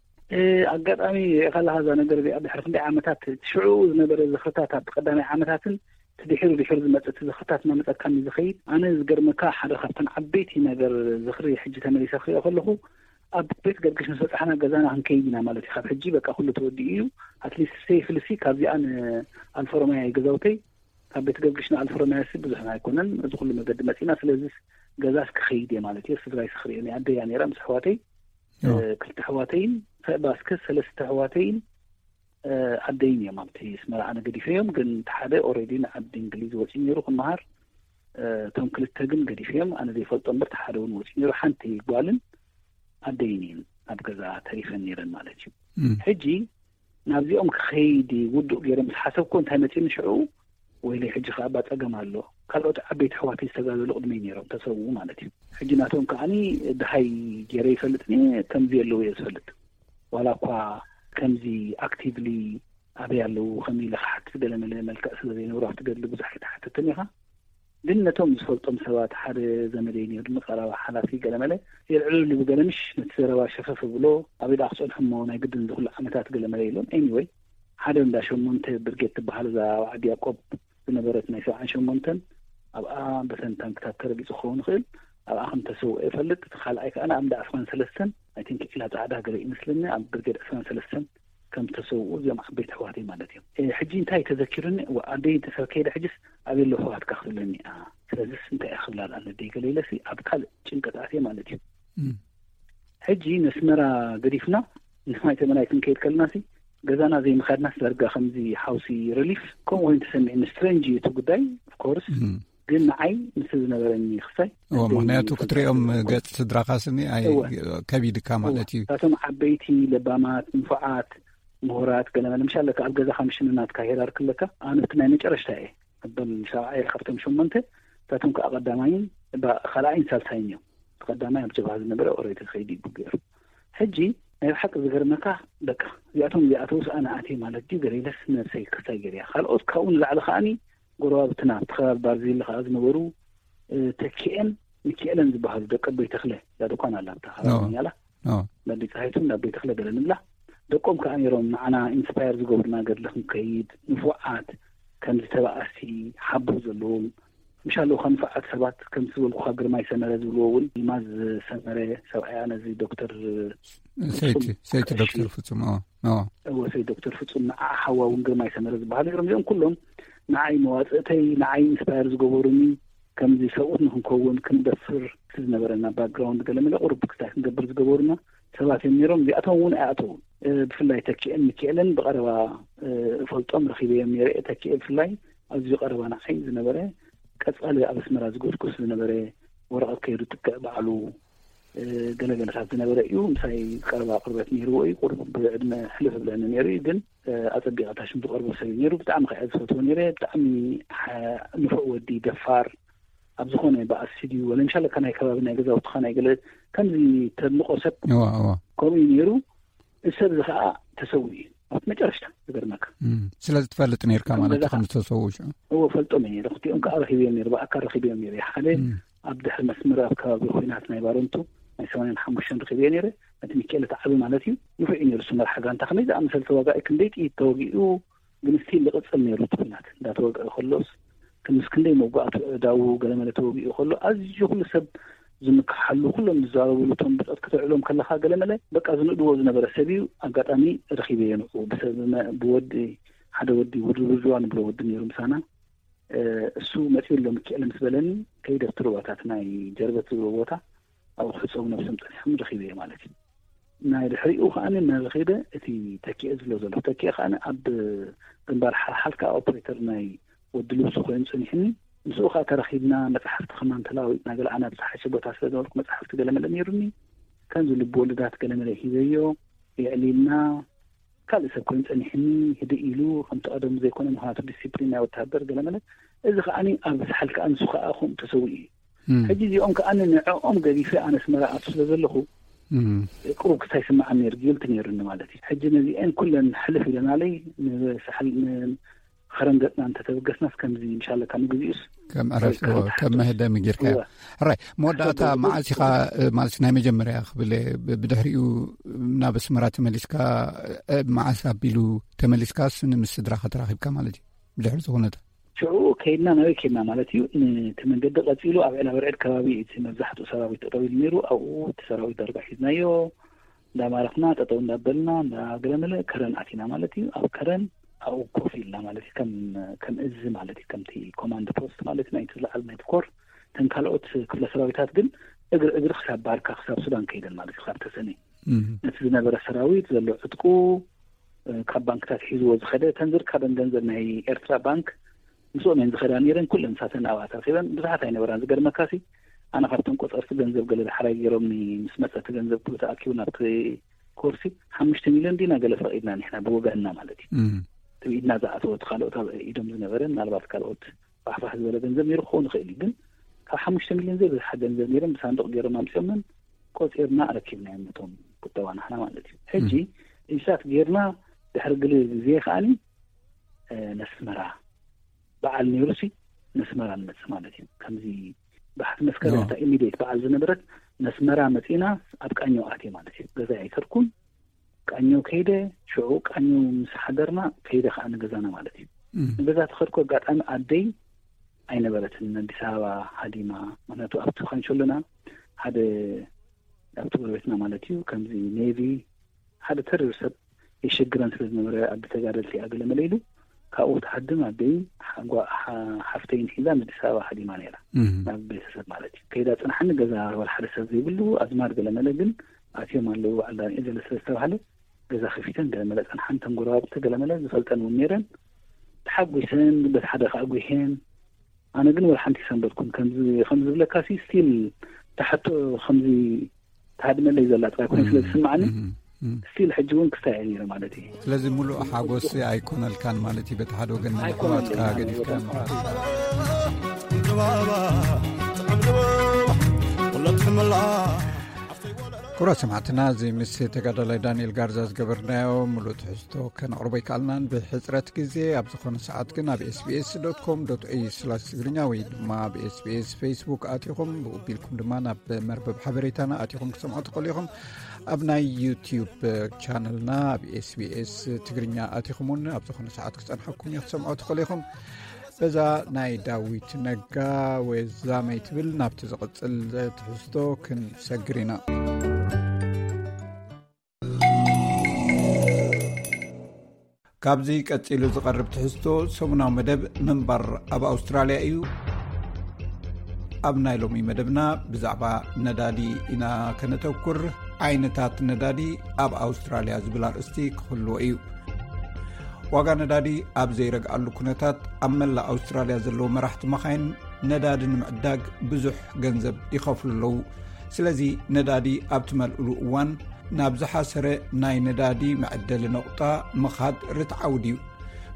ኣጋጣሚ ሪኢኻ ኣለኻ እዛ ነገር እዚኣ ድሕሪ ክንደይ ዓመታት ሽዑ ዝነበረ ዝኽርታት ኣብቲ ቀዳማይ ዓመታትን ድሒሩ ድሒሩ ዝመፅእ እቲ ዝኽርታት እናመፀካኒ ዝኸይድ ኣነ ዝገርመካ ሓደ ካብተን ዓበይቲ ነገር ዝኽሪ ሕጂ ተመሊሰ ክሪኦ ከለኹ ኣብ ቤት ገርግሽ ምስ በፃሕና ገዛና ክንከይድ ኢና ማለት እዩ ካብ ሕጂ በቃ ኩሉ ተወዲኡ እዩ ኣትሊስት ሴፍሊ ሲ ካብዚኣ ንኣልፎሮማያ ገዛውተይ ካብ ቤት ገርግሽ ንኣልፎሮማያ ሲ ብዙሕ ኣይኮነን እዚ ኩሉ መገዲ መፂና ስለዚ ገዛስ ክኸይድ እየ ማለት እየ ስድራይ ስክሪኦ ናይ ኣደያ ነይራ ምስ ኣሕዋተይ ክልተ ኣሕዋተይን ባስከ ሰለስተ ኣሕዋተይን ኣደይን እዮም ኣብቲ ኣስመራ ኣነ ገዲፈዮም። ግን እቲ ሓደ ኦልሬዲ ንዓዲ እንግሊዝ ወፂኡ ነይሩ ክመሃር። እቶም ክልተ ግን ገዲፈዮም። ኣነ ዘይፈልጦ እምበር እቲ ሓደ እውን ወፂኡ ነይሩ። ሓንቲ ጓልን ኣደይን እየን ኣብ ገዛ ተሪፈን ነይረን ማለት እዩ። ሕጂ ናብዚኦም ክኸይድ ውዱእ ገይረ ምስ ሓሰብኩ እንታይ መፂኒ ሽዑ፣ ወይለይ ሕጂ ከዓ እባ ፀገም ኣሎ። ካልኦት ዓበይቲ ኣሕዋተይ ዝተጋደሉ ቅድመይ ነይሮም፣ ተሰውኡ ማለት እዩ። ሕጂ ናቶም ከዓኒ ድሃይ ገይረ ይፈልጥኒ፣ ከምዚ የለዉ እየ ዝፈልጥ። ዋላ እኳ ከምዚ ኣክቲቭሊ ኣበይ ኣለዉ ከመይ ኢለ ክሓትት ገለመለ መልክዕ ስለ ዘይነበሩ ኣብቲ ገድሊ ብዙሕ ኣይተሓተትን ኢኻ። ግን ነቶም ዝፈልጦም ሰባት ሓደ ዘመደይ ነይሩ፣ ንቐረባ ሓላፊ ገለመለ የልዕሉ ልቡ ገለምሽ ነቲ ዘረባ ሸፈፍ ብሎ ኣበይ ደኣ ክጸንሑ እሞ ናይ ግድን ዝኹሉ ዓመታት ገለመለ ኢሎም። ኤኒወይ ሓደ እንዳ ሸሞንተ ብርጌድ ትበሃል እዛ ኣብ ዓዲ ያቆብ ዝነበረት ናይ ሰብዓን ሸሞንተን ኣብኣ በተን ታንክታት ተረጊጹ ክኸውን ይኽእል። ኣብኣ ከም ተሰውአ ይፈልጥ። እቲ ካልኣይ ከኣ ኣብ እንዳ ዕስራን ሰለስተን ኣይ ቲንክ ዒላ ጻዕዳ ገለ ይመስለኒ ኣብ ብርጌድ ዕስራን ሰለስተን ከም ተሰውኡ እዚኦም ዓበይቲ ኣሕዋተይ ማለት እዮም። ሕጂ እንታይ ተዘኪሩኒ፣ ኣደይ እንተሰብ ከይደ ሕጅስ ኣበይ ኣለዉ ኣሕዋትካ ክትብለኒ እያ። ስለዚስ እንታይ እያ ክብላ ደኣ ነደይ ገለ ኢለሲ ኣብ ካልእ ጭንቀት ኣትየ ማለት እዩ። ሕጂ ነስመራ ገዲፍና ንማይ ተመናይ ክንከይድ ከለናሲ ገዛና ዘይምኻድናስ ዳርጋ ከምዚ ሓውሲ ሪሊፍ ከምኡ ኮይኑ ተሰሚዕኒ። ስትሬንጅ እዩ እቲ ጉዳይ ኦፍኮርስ፣ ግን ንዓይ ምስ ዝነበረኒ ክሳይ እዎ፣ ምኽንያቱ ክትሪኦም ገጽ ስድራኻ ስኒ ኣይ እወ። ከቢድካ ማለት እዩ። እታቶም ዓበይቲ ለባማት ንፉዓት ምሁራት ገለ መለ ምሻለካ ኣብ ገዛኻ ምሽንናትካ ሄራር ክለካ ኣነ እቲ ናይ መጨረሽታ እየ። ኣበል ሰብዓ እየ ካብቶም ሸሞንተ። እታቶም ከዓ ቀዳማይን ባ- ካልኣይን ሳልሳይን እዮም። እቲ ቀዳማይ ኣብ ጀብሃ ዝነበረ ኦሬዲ ከይዲ ይቡ ገይሩ። ሕጂ ናይ ብሓቂ ዝገርመካ በቃ እዚኣቶም እዚኣተውስ ኣነ ኣትየ ማለት ድዩ ገለ ኢለስ ነብሰይ ክሳይ ገይርያ። ካልኦት ካብኡ ንላዕሊ ከዓኒ ጎረባብትና ኣብቲ ከባቢ ባርዜሊ ከዓ ዝነበሩ ተኪኤን ሚኪኤለን ዝበሃሉ ደቂ ኣቦይ ተኽለ እዛ ድኳን ኣላ ኣብታ ከባቢ ኛላ ናበይ ፀሃይቱን ናበይ ተኽለ ገለ ንብላ ደቆም ከዓ ነይሮም ንዓና ኢንስፓየር ዝገብሩና ገድሊ ክንከይድ ንፉዓት ከምዚ ተባኣሲ ሓቦ ዘለዎም ምሻ ኣለዉ ንፉዓት ሰባት ከምዚ ዝበልኩካ ግርማይ ሰመረ ዝብልዎ እውን ይማዝ ሰመረ ሰብኣያ ነዚ ዶክተር ሰይቲ ሰይቲ ዶክተር ፍጹም እወ ሰይ ዶክተር ፍጹም ንዓ ሓዋ እውን ግርማይ ሰመረ ዝበሃሉ ነይሮም እዚኦም ኩሎም ንዓይ መዋፅእተይ ንዓይ ኢንስፓየር ዝገበሩኒ ከምዚ ሰብኡት ንክንከውን ክንደፍር እቲ ዝነበረና ባክግራውንድ ገለ መለ ቁሩብ ክስታይ ክንገብር ዝገበሩና ሰባት እዮም ነይሮም። እዚኣቶም እውን ኣይኣተውን። ብፍላይ ተኪኤን ሚኪኤልን ብቐረባ እፈልጦም ረኺበዮም ነይረ። ተኪኤ ብፍላይ ኣዝዩ ቀረባ ንዓይ ዝነበረ ቀፃሊ ኣብ ኣስመራ ዝጎስጎስ ዝነበረ ወረቐት ከይዱ ጥቅዕ ባዕሉ ገለገለታት ዝነበረ እዩ። ምሳይ ቀረባ ቅርበት ነይርዎ እዩ። ቁሩብ ብዕድመ ሕልፍ ብለኒ ነይሩ እዩ ግን ኣጸቢቐ እታ ሽም ዝቐርቦ ሰብ እዩ ነይሩ። ብጣዕሚ ከኣ ዝፈትዎ ነይረ። ብጣዕሚ ንፉዕ ወዲ ደፋር ኣብ ዝኾነ ብኣሲ ድዩ ወለ ምሻለካ ናይ ከባቢ ናይ ገዛውትኻ ናይ ገለ ከምዚ ተድንቆ ሰብ ከምኡ እዩ ነይሩ። እዚ ሰብ እዚ ከኣ ተሰዊኡ እዩ ኣብቲ መጨረሽታ ዝገርመካ። ስለዚ ትፈልጥ ነይርካ ማለት እዩ ከም ዝተሰውኡ ሽዑ? እዎ ፈልጦም እየ ነይረ። ክልቲኦም ከኣ ረኺበዮም ነይረ ብኣካል ረኺበዮም ነይረ ሓደ ኣብ ድሕሪ መስመር ኣብ ከባቢ ኹናት ናይ ባረንቱ ናይ ሰማንያን ሓሙሽተን ረኺበዮ ነይረ። ነቲ ሚካኤል እቲ ዓቢ ማለት እዩ ንፉዕ እዩ ነይሩ። እሱ መርሓ ጋንታ ከመይ ዝኣመሰለ ተዋጋኢ ክንደይ ጥይት ተወጊኡ ግን ስቲል ዝቕጽል ነይሩ እቲ ኹናት እንዳተወግአ ከሎስ ምስ ክንደይ መውጋእቱ ኣእዳዉ ገለመለ ተወጊኡ ከሎ ኣዝዩ ኩሉ ሰብ ዝምክሓሉ ኩሎም ዝዛረብሉ እቶም ብጾት ከተውዕሎም ከለኻ ገለመለ በቃ ዝንእድዎ ዝነበረ ሰብ እዩ። ኣጋጣሚ ረኺበዮ ንዕኡ ብሰብ ብወዲ ሓደ ወዲ ውድውድዋ ንብሎ ወዲ ነይሩ ምሳና እሱ መፂኡ ኣሎ ምኪኤል ምስ በለኒ ከይደ ኣብቲ ሩባታት ናይ ጀርበት ዝብሎ ቦታ ኣብኡ ክሕፀቡ ነብሶም ፀኒሖም ረኺበዮ ማለት እዩ። ናይ ድሕሪኡ ከዓ መን ረኺበ እቲ ተኪኤ ዝብሎ ዘሎ ተኪኤ ከዓ ኣብ ግንባር ሓልሓል ከዓ ኦፕሬተር ናይ ወዲ ልብሱ ኮይኑ ፀኒሕኒ። ምስኡ ከዓ ተራኺብና መፅሓፍቲ ከማን ተለዋዊጥና ገለ ኣነ ኣብ ዝሓሸ ቦታ ስለ ዝነበርኩ መፅሓፍቲ ገለመለ ነይሩኒ ከምዚ ልቢ ወለዳት ገለመለ ሂበዮ የዕሊልና ካልእ ሰብ ኮይኑ ጸኒሕኒ ህድእ ኢሉ ከምቲ ቀደሙ ዘይኮነ ምኽንያቱ ዲሲፕሊን ናይ ወተሃደር ገለ መለ እዚ ከዓኒ ኣብ ዝሓል ከኣ ንሱ ከኣ ከምኡ ተሰዊኡ እዩ። ሕጂ እዚኦም ከኣ ንዕኦም ገዲፈ ኣነ ኣስመራ ኣቱ ስለ ዘለኹ ቅሩብ ክስታይ ይስምዓኒ ነይሩ፣ ጊልቲ ነይሩኒ ማለት እዩ። ሕጂ ነዚኤን ኩለን ሕልፍ ኢለናለይ ንሳሕል ንኸረን ገጽና እንተተበገስናስ ከምዚ ምሻለካ ንግዚኡስ ከም ዕረፍቲ ከም መህደሚ ጌርካዮ። ሕራይ መወዳእታ መዓስ ኢኻ ማለት ናይ መጀመርያ ክብል ብድሕሪኡ ናብ ኣስመራ ተመሊስካ መዓስ ኣቢሉ ተመሊስካስ ንምስ ስድራኻ ተራኺብካ ማለት እዩ? ብድሕሪ ዝኾነታ ሽዑ ከይድና ናበይ ከይድና ማለት እዩ። እቲ መንገዲ ቀፂሉ ኣብ ዕላበርዕድ ከባቢ እቲ መብዛሕትኡ ሰራዊት ጠጠው ኢሉ ነይሩ። ኣብኡ እቲ ሰራዊት ዳርጋ ሒዝናዮ እንዳማረኽና ጠጠው እንዳበልና እንዳገለመለ ከረን ኣቲና ማለት እዩ። ኣብ ከረን ኣብኡ ኮፍ ኢልና ማለት እዩ። ከም ከም እዚ ማለት እዩ። ከምቲ ኮማንድ ፖስት ማለት ናይቲ ዝለዓለ ናይቲ ኮር እተን ካልኦት ክፍለ ሰራዊታት ግን እግሪ እግሪ ክሳብ ባርካ ክሳብ ሱዳን ከይደን ማለት እዩ። ካብ ተሰነይ ነቲ ዝነበረ ሰራዊት ዘሎ ዕጥቁ ካብ ባንክታት ሒዝዎ ዝኸደ፣ እተን ዝርካበን ገንዘብ ናይ ኤርትራ ባንክ ምስኦም እየን ዝኸዳ ነይረን። ኩለን ንሳተን ኣብኣ ተረኺበን፣ ብዙሓት ኣይነበራን። ዝገርመካሲ፣ ኣነ ካብተን ቆጸርቲ ገንዘብ ገለ ዳሕራይ ገይሮምኒ፣ ምስ መጸ እቲ ገንዘብ ኩሉ ተኣኪቡ ናብቲ ኮርሲ ሓሙሽተ ሚልዮን ዲና ገለ ፈቒድና ንሕና ብወገንና ማለት እዩ። እቲ ብኢድና ዝኣተወ፣ እቲ ካልኦት ኣብ ኢዶም ዝነበረ፣ ምናልባት ካልኦት ፋሕፋሕ ዝበለ ገንዘብ ነይሩ ክኸውን ይኽእል እዩ። ግን ካብ ሓሙሽተ ሚልዮን ዘይብዝሓ ገንዘብ ነይሮም ብሳንዱቕ ገይሮም ኣምጺኦምን ቆጺርና ኣረኪብናዮም ነቶም ቁጠባ ናህና ማለት እዩ። ሕጂ ኢንሳት ጌርና ድሕሪ ግሊ ግዜ ከኣኒ ነስመራ በዓል ነይሩሲ፣ ነስመራ ንመጽእ ማለት እዩ። ከምዚ ባሕቲ መስከረም እታ ኢሚዲየት በዓል ዝነበረት፣ ነስመራ መጺና ኣብ ቃኘው ኣትየ ማለት እዩ። ገዛ ኣይከድኩን። ቃኘው ከይደ፣ ሽዑ ቃኘው ምስ ሓደርና ከይደ ከኣ ንገዛና ማለት እዩ። ንገዛ ተኸድኩ፣ ኣጋጣሚ ኣደይ ኣይነበረትን፣ ኣዲስ ኣበባ ሃዲማ። ምክንያቱ ኣብቲ ኳንሸሎና ሓደ፣ ኣብቲ ጎረቤትና ማለት እዩ፣ ከምዚ ኔቪ ሓደ ተሪር ሰብ የሸግረን ስለ ዝነበረ፣ ኣዲ ተጋደልቲ እያ ገለ መለ ኢሉ ካብኡ ክትሃድም ኣደይ ሓጓ-፣ ሓ-፣ ሓፍተይን ሒዛ ንኣዲስ ኣበባ ሃዲማ ነይራ። ናብ ቤተሰብ ማለት እዩ። ከይዳ ጽንሓኒ፣ ገዛ ወላ ሓደ ሰብ ዘይብሉ፣ ኣዝማድ ገለ መለ ግን ኣትዮም ኣለዉ፣ በዓል ዳንኤል ገለ ስለ ዝተባህለ፣ ገዛ ከፊተን ገለ መለ ጸንሓን፣ ተን ጎረባብቲ ገለ መለ ዝፈልጠን እውን ነይረን። ተሓጒሰን፣ በቲ ሓደ ከኣ ጒሄን። ኣነ ግን ወላ ሓንቲ ይሰንበድኩን። ከምዚ፣ ከምዚ ዝብለካ ሲ፣ ስቲል ተሓቶ ከምዚ ተሃድመለይ ዘላ ጥራይ ኮይኑ ስለ ዝስምዓኒ፣ ስቲል ሕጂ እውን ክስታይ እየ ነይረ ማለት እዩ። ስለዚ ሙሉእ ሓጎስ ኣይኮነልካን ማለት እዩ። በቲ ሓደ ወገን ናይ ኣይኮነልካን። ኣሕዋትካ ገዲፍካ ማለት እዩ። ክቡራት ሰማዕትና፣ እዚ ምስ ተጋዳላይ ዳንኤል ጋርዛ ዝገበርናዮ ሙሉእ ትሕዝቶ ከነቕርቦ ኣይከኣልናን ብሕጽረት ግዜ። ኣብ ዝኾነ ሰዓት ግን ኣብ ኤስቢኤስ ዶት ኮም ዶት ኤዩ ስላሽ ትግርኛ ወይ ድማ ኣብ ኤስቢኤስ ፌስቡክ ኣቲኹም፣ ብኡ ቢልኩም ድማ ናብ መርበብ ሓበሬታና ኣቲኹም ክሰምዑ ትኽእሉ ኢኹም። ኣብ ናይ ዩቲዩብ ቻነልና ኣብ ኤስቢኤስ ትግርኛ ኣቲኹም እውን ኣብ ዝኾነ ሰዓት ክጸንሐኩም እዩ፣ ክሰምዑ ትኽእሉ ኢኹም። በዛ ናይ ዳዊት ነጋ ወዛመይ ትብል ናብቲ ዝቕጽል ትሕዝቶ ክንሰግር ኢና። ካብዚ ቀጺሉ ዝቐርብ ትሕዝቶ ሰሙናዊ መደብ ምንባር ኣብ ኣውስትራልያ እዩ። ኣብ ናይ ሎሚ መደብና ብዛዕባ ነዳዲ ኢና ከነተኩር። ዓይነታት ነዳዲ ኣብ ኣውስትራልያ ዝብል ኣርእስቲ ክህልዎ እዩ። ዋጋ ነዳዲ ኣብ ዘይረግኣሉ ኩነታት፣ ኣብ መላእ ኣውስትራልያ ዘለዉ መራሕቲ መኻይን ነዳዲ ንምዕዳግ ብዙሕ ገንዘብ ይኸፍሉ ኣለዉ። ስለዚ ነዳዲ ኣብ ትመልእሉ እዋን ናብ ዝሓሰረ ናይ ነዳዲ መዐደሊ ነቑጣ ምኻድ ርትዓዊ ድዩ?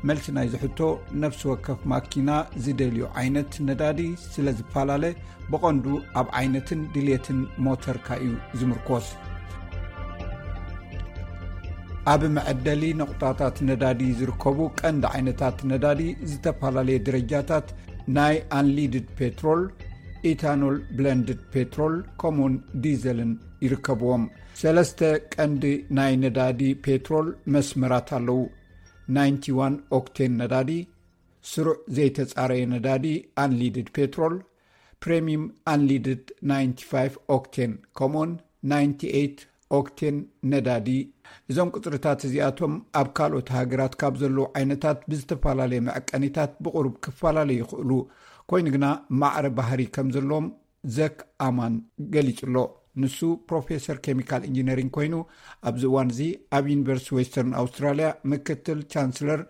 መልሲ ናይዚ ሕቶ፣ ነፍሲ ወከፍ ማኪና ዝደልዮ ዓይነት ነዳዲ ስለ ዝፈላለ፣ ብቐንዱ ኣብ ዓይነትን ድሌትን ሞተርካ እዩ ዝምርኮስ። ኣብ መዐደሊ ነቑጣታት ነዳዲ ዝርከቡ ቀንዲ ዓይነታት ነዳዲ፣ ዝተፈላለየ ደረጃታት ናይ ኣንሊድድ ፔትሮል፣ ኢታኖል ብለንድድ ፔትሮል፣ ከምኡውን ዲዘልን ይርከብዎም። ሰለስተ ቀንዲ ናይ ነዳዲ ፔትሮል መስመራት ኣለዉ። ናይንቲ ዋን ኦክቴን ነዳዲ፣ ስሩዕ ዘይተጻረየ ነዳዲ ኣንሊድድ ፔትሮል፣ ፕሬሚየም ኣንሊድድ ናይንቲ ፋይቭ ኦክቴን፣ ከምኡውን ናይንቲ ኤይት ኦክቴን ነዳዲ። እዞም ቁጽርታት እዚኣቶም ኣብ ካልኦት ሃገራት ካብ ዘለዉ ዓይነታት ብዝተፈላለየ መዐቀኒታት ብቑሩብ ክፈላለዩ ይኽእሉ። ኮይኑ ግና ማዕረ ባህሪ ከም ዘለዎም ዘክ ኣማን ገሊጹ ኣሎ። ንሱ ፕሮፌሰር ኬሚካል ኢንጂነሪንግ ኮይኑ፣ ኣብዚ እዋን እዚ ኣብ ዩኒቨርሲቲ ዌስተርን ኣውስትራልያ ምክትል ቻንስለር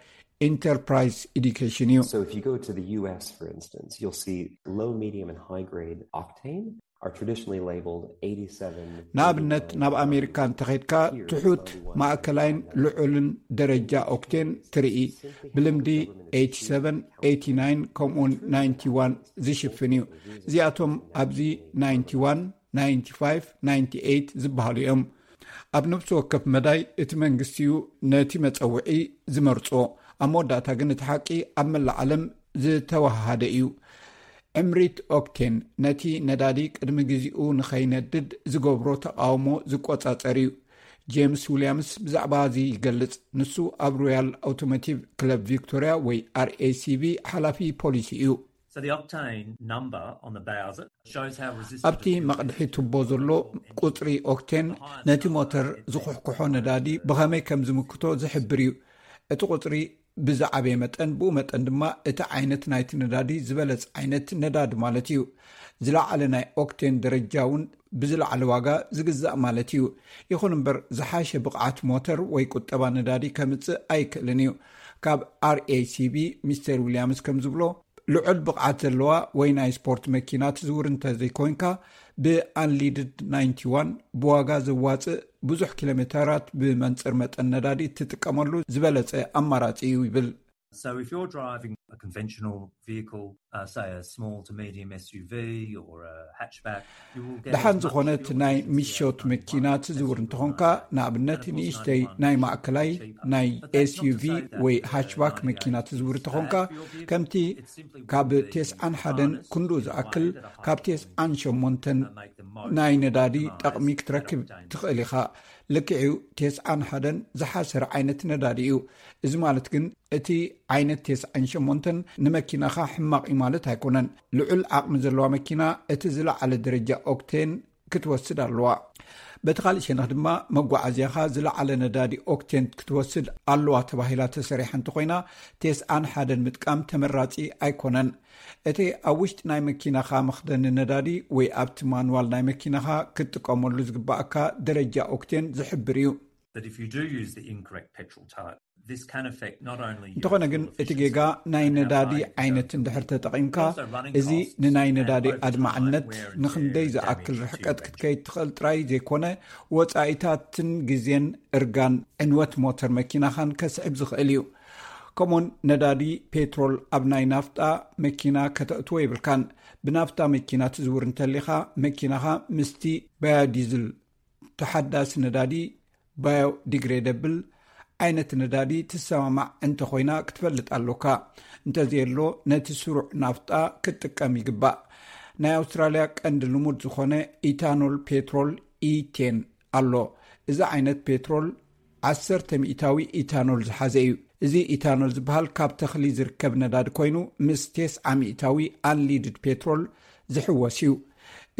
ኢንተርፕራይዝ ኤዱኬሽን እዩ። So if you go to the U S, for instance, you'll see low, medium, and high grade octane are traditionally labeled eighty-seven, ንኣብነት፣ ናብ ኣሜሪካ እንተኸድካ፣ ትሑት፣ ማእከላይን ልዑልን ደረጃ ኦክቴን ትርኢ። ብልምዲ ኤይቲ ሰቨን፣ ኤይቲ ናይን፣ ከምኡውን ናይንቲ ዋን ዝሽፍን እዩ። እዚኣቶም ኣብዚ ናይንቲ ዋን፣ ናይንቲ ፋይቭ፣ ናይንቲ ኤይት ዝበሃሉ እዮም። ኣብ ነፍሲ ወከፍ መዳይ እቲ መንግስቲ እዩ ነቲ መጸውዒ ዝመርጾ። ኣብ መወዳእታ ግን እቲ ሓቂ ኣብ መላእ ዓለም ዝተወሃሃደ እዩ። ዕምሪት ኦክቴን ነቲ ነዳዲ ቅድሚ ግዜኡ ንኸይነድድ ዝገብሮ ተቓውሞ ዝቆጻጸር እዩ። ጄምስ ዊልያምስ ብዛዕባ እዚ ይገልጽ። ንሱ ኣብ ሮያል ኣውቶሞቲቭ ክለብ ቪክቶሪያ ወይ ኣር ኤ ሲ ቪ ሓላፊ ፖሊሲ እዩ። So the octane number on the Bowser shows how resistant ኣብቲ መቕድሒ ቱቦ ዘሎ ቁጽሪ ኦክቴን ነቲ ሞተር ዝኹሕኩሖ ነዳዲ ብኸመይ ከም ዝምክቶ ዝሕብር እዩ። እቲ ቁጽሪ ብዝዓበየ መጠን፣ ብኡ መጠን ድማ እቲ ዓይነት ናይቲ ነዳዲ ዝበለጽ ዓይነት ነዳዲ ማለት እዩ። ዝለዓለ ናይ ኦክቴን ደረጃ እውን ብዝለዓለ ዋጋ ዝግዛእ ማለት እዩ። ይኹን እምበር፣ ዝሓሸ ብቕዓት ሞተር ወይ ቁጠባ ነዳዲ ከምጽእ ኣይክእልን እዩ። ካብ ኣርኤሲቢ ሚስተር ዊልያምስ ከም ዝብሎ፣ ልዑል ብቕዓት ዘለዋ ወይ ናይ ስፖርት መኪና ትዝውር እንተዘይኮይንካ፣ ብኣንሊድድ ናይንቲ ዋን ብዋጋ ዘዋፅእ ብዙሕ ኪሎ ሜተራት ብመንፅር መጠን ነዳዲ እትጥቀመሉ ዝበለፀ ኣማራፂ እዩ ይብል። So if you're driving a conventional vehicle, uh, say a small to medium S U V or a hatchback, you will get ደሓን as much ዝኾነት fuel ናይ efficiency ምሾት out of መኪና one ትዝውር S U V እንተኾንካ፣ car. ንኣብነት ንእሽተይ ናይ ማእከላይ ናይ ኤስዩቪ ወይ ሃችባክ መኪና ትዝውር እንተኾንካ፣ ከምቲ ካብ ቴስዓን ሓደን ክንዱ ዝኣክል ካብ ቴስዓን ሸሞንተን ናይ ነዳዲ ጠቕሚ ክትረክብ ትኽእል ኢኻ። ልክዕዩ፣ ቴስዓን ሓደን ዝሓሰረ ዓይነት ነዳዲ እዩ። እዚ ማለት ግን እቲ ዓይነት ቴስዓን ሸሞንተን ንመኪናኻ ሕማቕ እዩ ማለት ኣይኮነን። ልዑል ዓቕሚ ዘለዋ መኪና እቲ ዝለዓለ ደረጃ ኦክቴን ክትወስድ ኣለዋ። በቲ ካልእ ሸነኽ ድማ፣ መጓዓዝያኻ ዝለዓለ ነዳዲ ኦክቴን ክትወስድ ኣለዋ ተባሂላ ተሰሪሓ እንተኾይና፣ ቴስዓን ሓደን ምጥቃም ተመራጺ ኣይኮነን። እቲ ኣብ ውሽጢ ናይ መኪናኻ መኽደኒ ነዳዲ ወይ ኣብቲ ማንዋል ናይ መኪናኻ ክትጥቀመሉ ዝግባኣካ ደረጃ ኦክቴን ዝሕብር እዩ። But if you do use the incorrect petrol type, this can affect not only your እንተኾነ ግን፣ fuel እቲ efficiency, ጌጋ ናይ but how ነዳዲ far you can go ዓይነት for እንድሕር it. ተጠቒምካ፣ But also running እዚ costs ንናይ and ነዳዲ over time, ኣድማዕነት wear and ንኽንደይ tear, ዝኣክል damage to ርሕቀት your ክትከይድ ትኽእል ጥራይ ዘይኮነ፣ ወጻኢታትን ግዜን እርጋን ዕንወት ሞተር መኪናኻን ከስዕብ ዝኽእል እዩ። ከምኡውን ነዳዲ ፔትሮል ኣብ ናይ ናፍጣ መኪና ከተእትዎ የብልካን። ብናፍጣ መኪና ትዝውር እንተሊኻ፣ መኪናኻ ምስቲ ባዮዲዝል፣ ተሓዳሲ ነዳዲ፣ ባዮዲግሬደብል ዓይነት ነዳዲ ትሰማማዕ እንተኾይና ክትፈልጥ ኣሎካ። እንተዘየሎ፣ ነቲ ስሩዕ ናፍጣ ክትጥቀም ይግባእ። ናይ ኣውስትራልያ ቀንዲ ልሙድ ዝኾነ ኢታኖል ፔትሮል፣ ኢቴን፣ ኣሎ። እዚ ዓይነት ፔትሮል ዓሰርተ ሚእታዊ ኢታኖል ዝሓዘ እዩ። እዚ ኢታኖል ዝበሃል ካብ ተኽሊ ዝርከብ ነዳዲ ኮይኑ፣ ምስ ቴስዓ ሚእታዊ ኣንሊድድ ፔትሮል ዝሕወስ እዩ።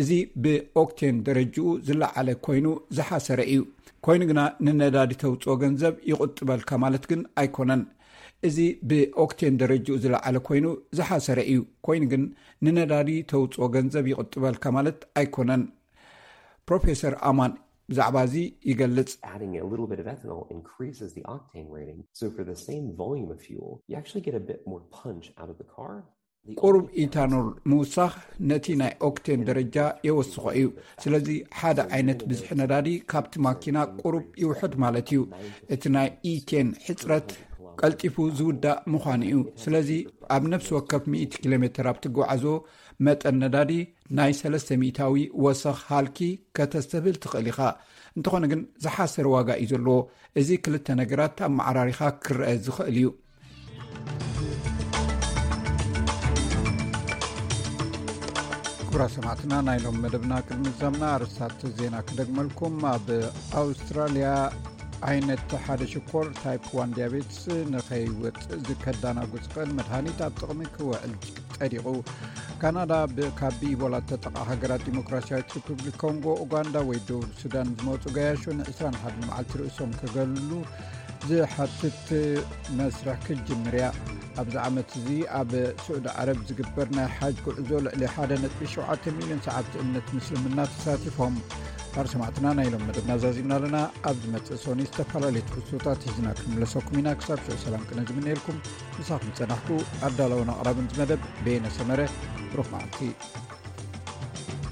እዚ ብኦክቴን ደረጅኡ ዝለዓለ ኮይኑ ዝሓሰረ እዩ። ኮይኑ ግና፣ ንነዳዲ ተውፅኦ ገንዘብ ይቑጥበልካ ማለት ግን ኣይኮነን። እዚ ብኦክቴን ደረጅኡ ዝለዓለ ኮይኑ ዝሓሰረ እዩ። ኮይኑ ግን፣ ንነዳዲ ተውፅኦ ገንዘብ ይቑጥበልካ ማለት ኣይኮነን። ፕሮፌሰር ኣማን ብዛዕባ እዚ ይገልጽ። Adding a little bit of ethanol increases the octane rating. So for the same volume of fuel, you actually get a bit more punch out of the car. ቁሩብ ኢታኖል ምውሳኽ ነቲ ናይ ኦክቴን ደረጃ የወስኾ እዩ። ስለዚ፣ ሓደ ዓይነት ብዝሒ ነዳዲ ካብቲ ማኪና ቁሩብ ይውሕድ ማለት እዩ። እቲ ናይ ኢቴን ሕጽረት ቀልጢፉ ዝውዳእ ምዃኑ እዩ። ስለዚ፣ ኣብ ነፍሲ ወከፍ ሚእቲ ኪሎ ሜትር ኣብ ትጓዓዞ መጠን ነዳዲ ናይ ሰለስተ ሚእታዊ ወሰኽ ሃልኪ ከተስተብህል ትኽእል ኢኻ። እንተኾነ ግን፣ ዝሓሰረ ዋጋ እዩ ዘለዎ። እዚ ክልተ ነገራት ኣመዓራሪኻ ክረአ ዝኽእል እዩ። ክቡራት ሰማዕትና፣ ናይ ሎም መደብና ቅድሚ ዛምና ኣርስታት ዜና ክደግመልኩም። ኣብ ኣውስትራልያ ዓይነት ሓደ ሽኮር ታይፕ ዋን ዲያቤትስ ንኸይወጽእ ዝከዳናጉ ዝኽእል መድሃኒት ኣብ ጥቕሚ ክውዕል ጸዲቑ። ካናዳ፣ ብ-፣ ካብ ብኢቦላ ተጠቓ ሃገራት ዲሞክራሲያዊት ሪፑብሊክ ኮንጎ፣ ኡጋንዳ ወይ ደቡብ ሱዳን ዝመጹ ገያሾ ን ዕስራን ሓደን መዓልቲ ርእሶም ክገልሉ ዝሓትት መስርሕ ክትጅምር እያ። ኣብዚ ዓመት እዚ ኣብ ስዑዲ ዓረብ ዝግበር ናይ ሓጅ ጉዕዞ ልዕሊ ሓደ ነጥቢ ሸውዓተ ሚልዮን ሰዓብቲ እምነት ምስልምና ተሳቲፎም። ኣርሰማዕትና ናይ ሎም መደብና ዛዚምና ኣለና። ኣብ ዝመጽእ ሶኒ ዝተፈላለዩ ትሕዝቶታት ሒዝና ክንምለሰኩም ኢና። ክሳብ ሽዑ ሰላም ቅነ ዝምነየልኩም። ምሳኹም ዝጸናሕኩ ኣዳላውን ኣቕራብን ዝመደብ በየነ ሰመረ። ብሩኽ መዓልቲ።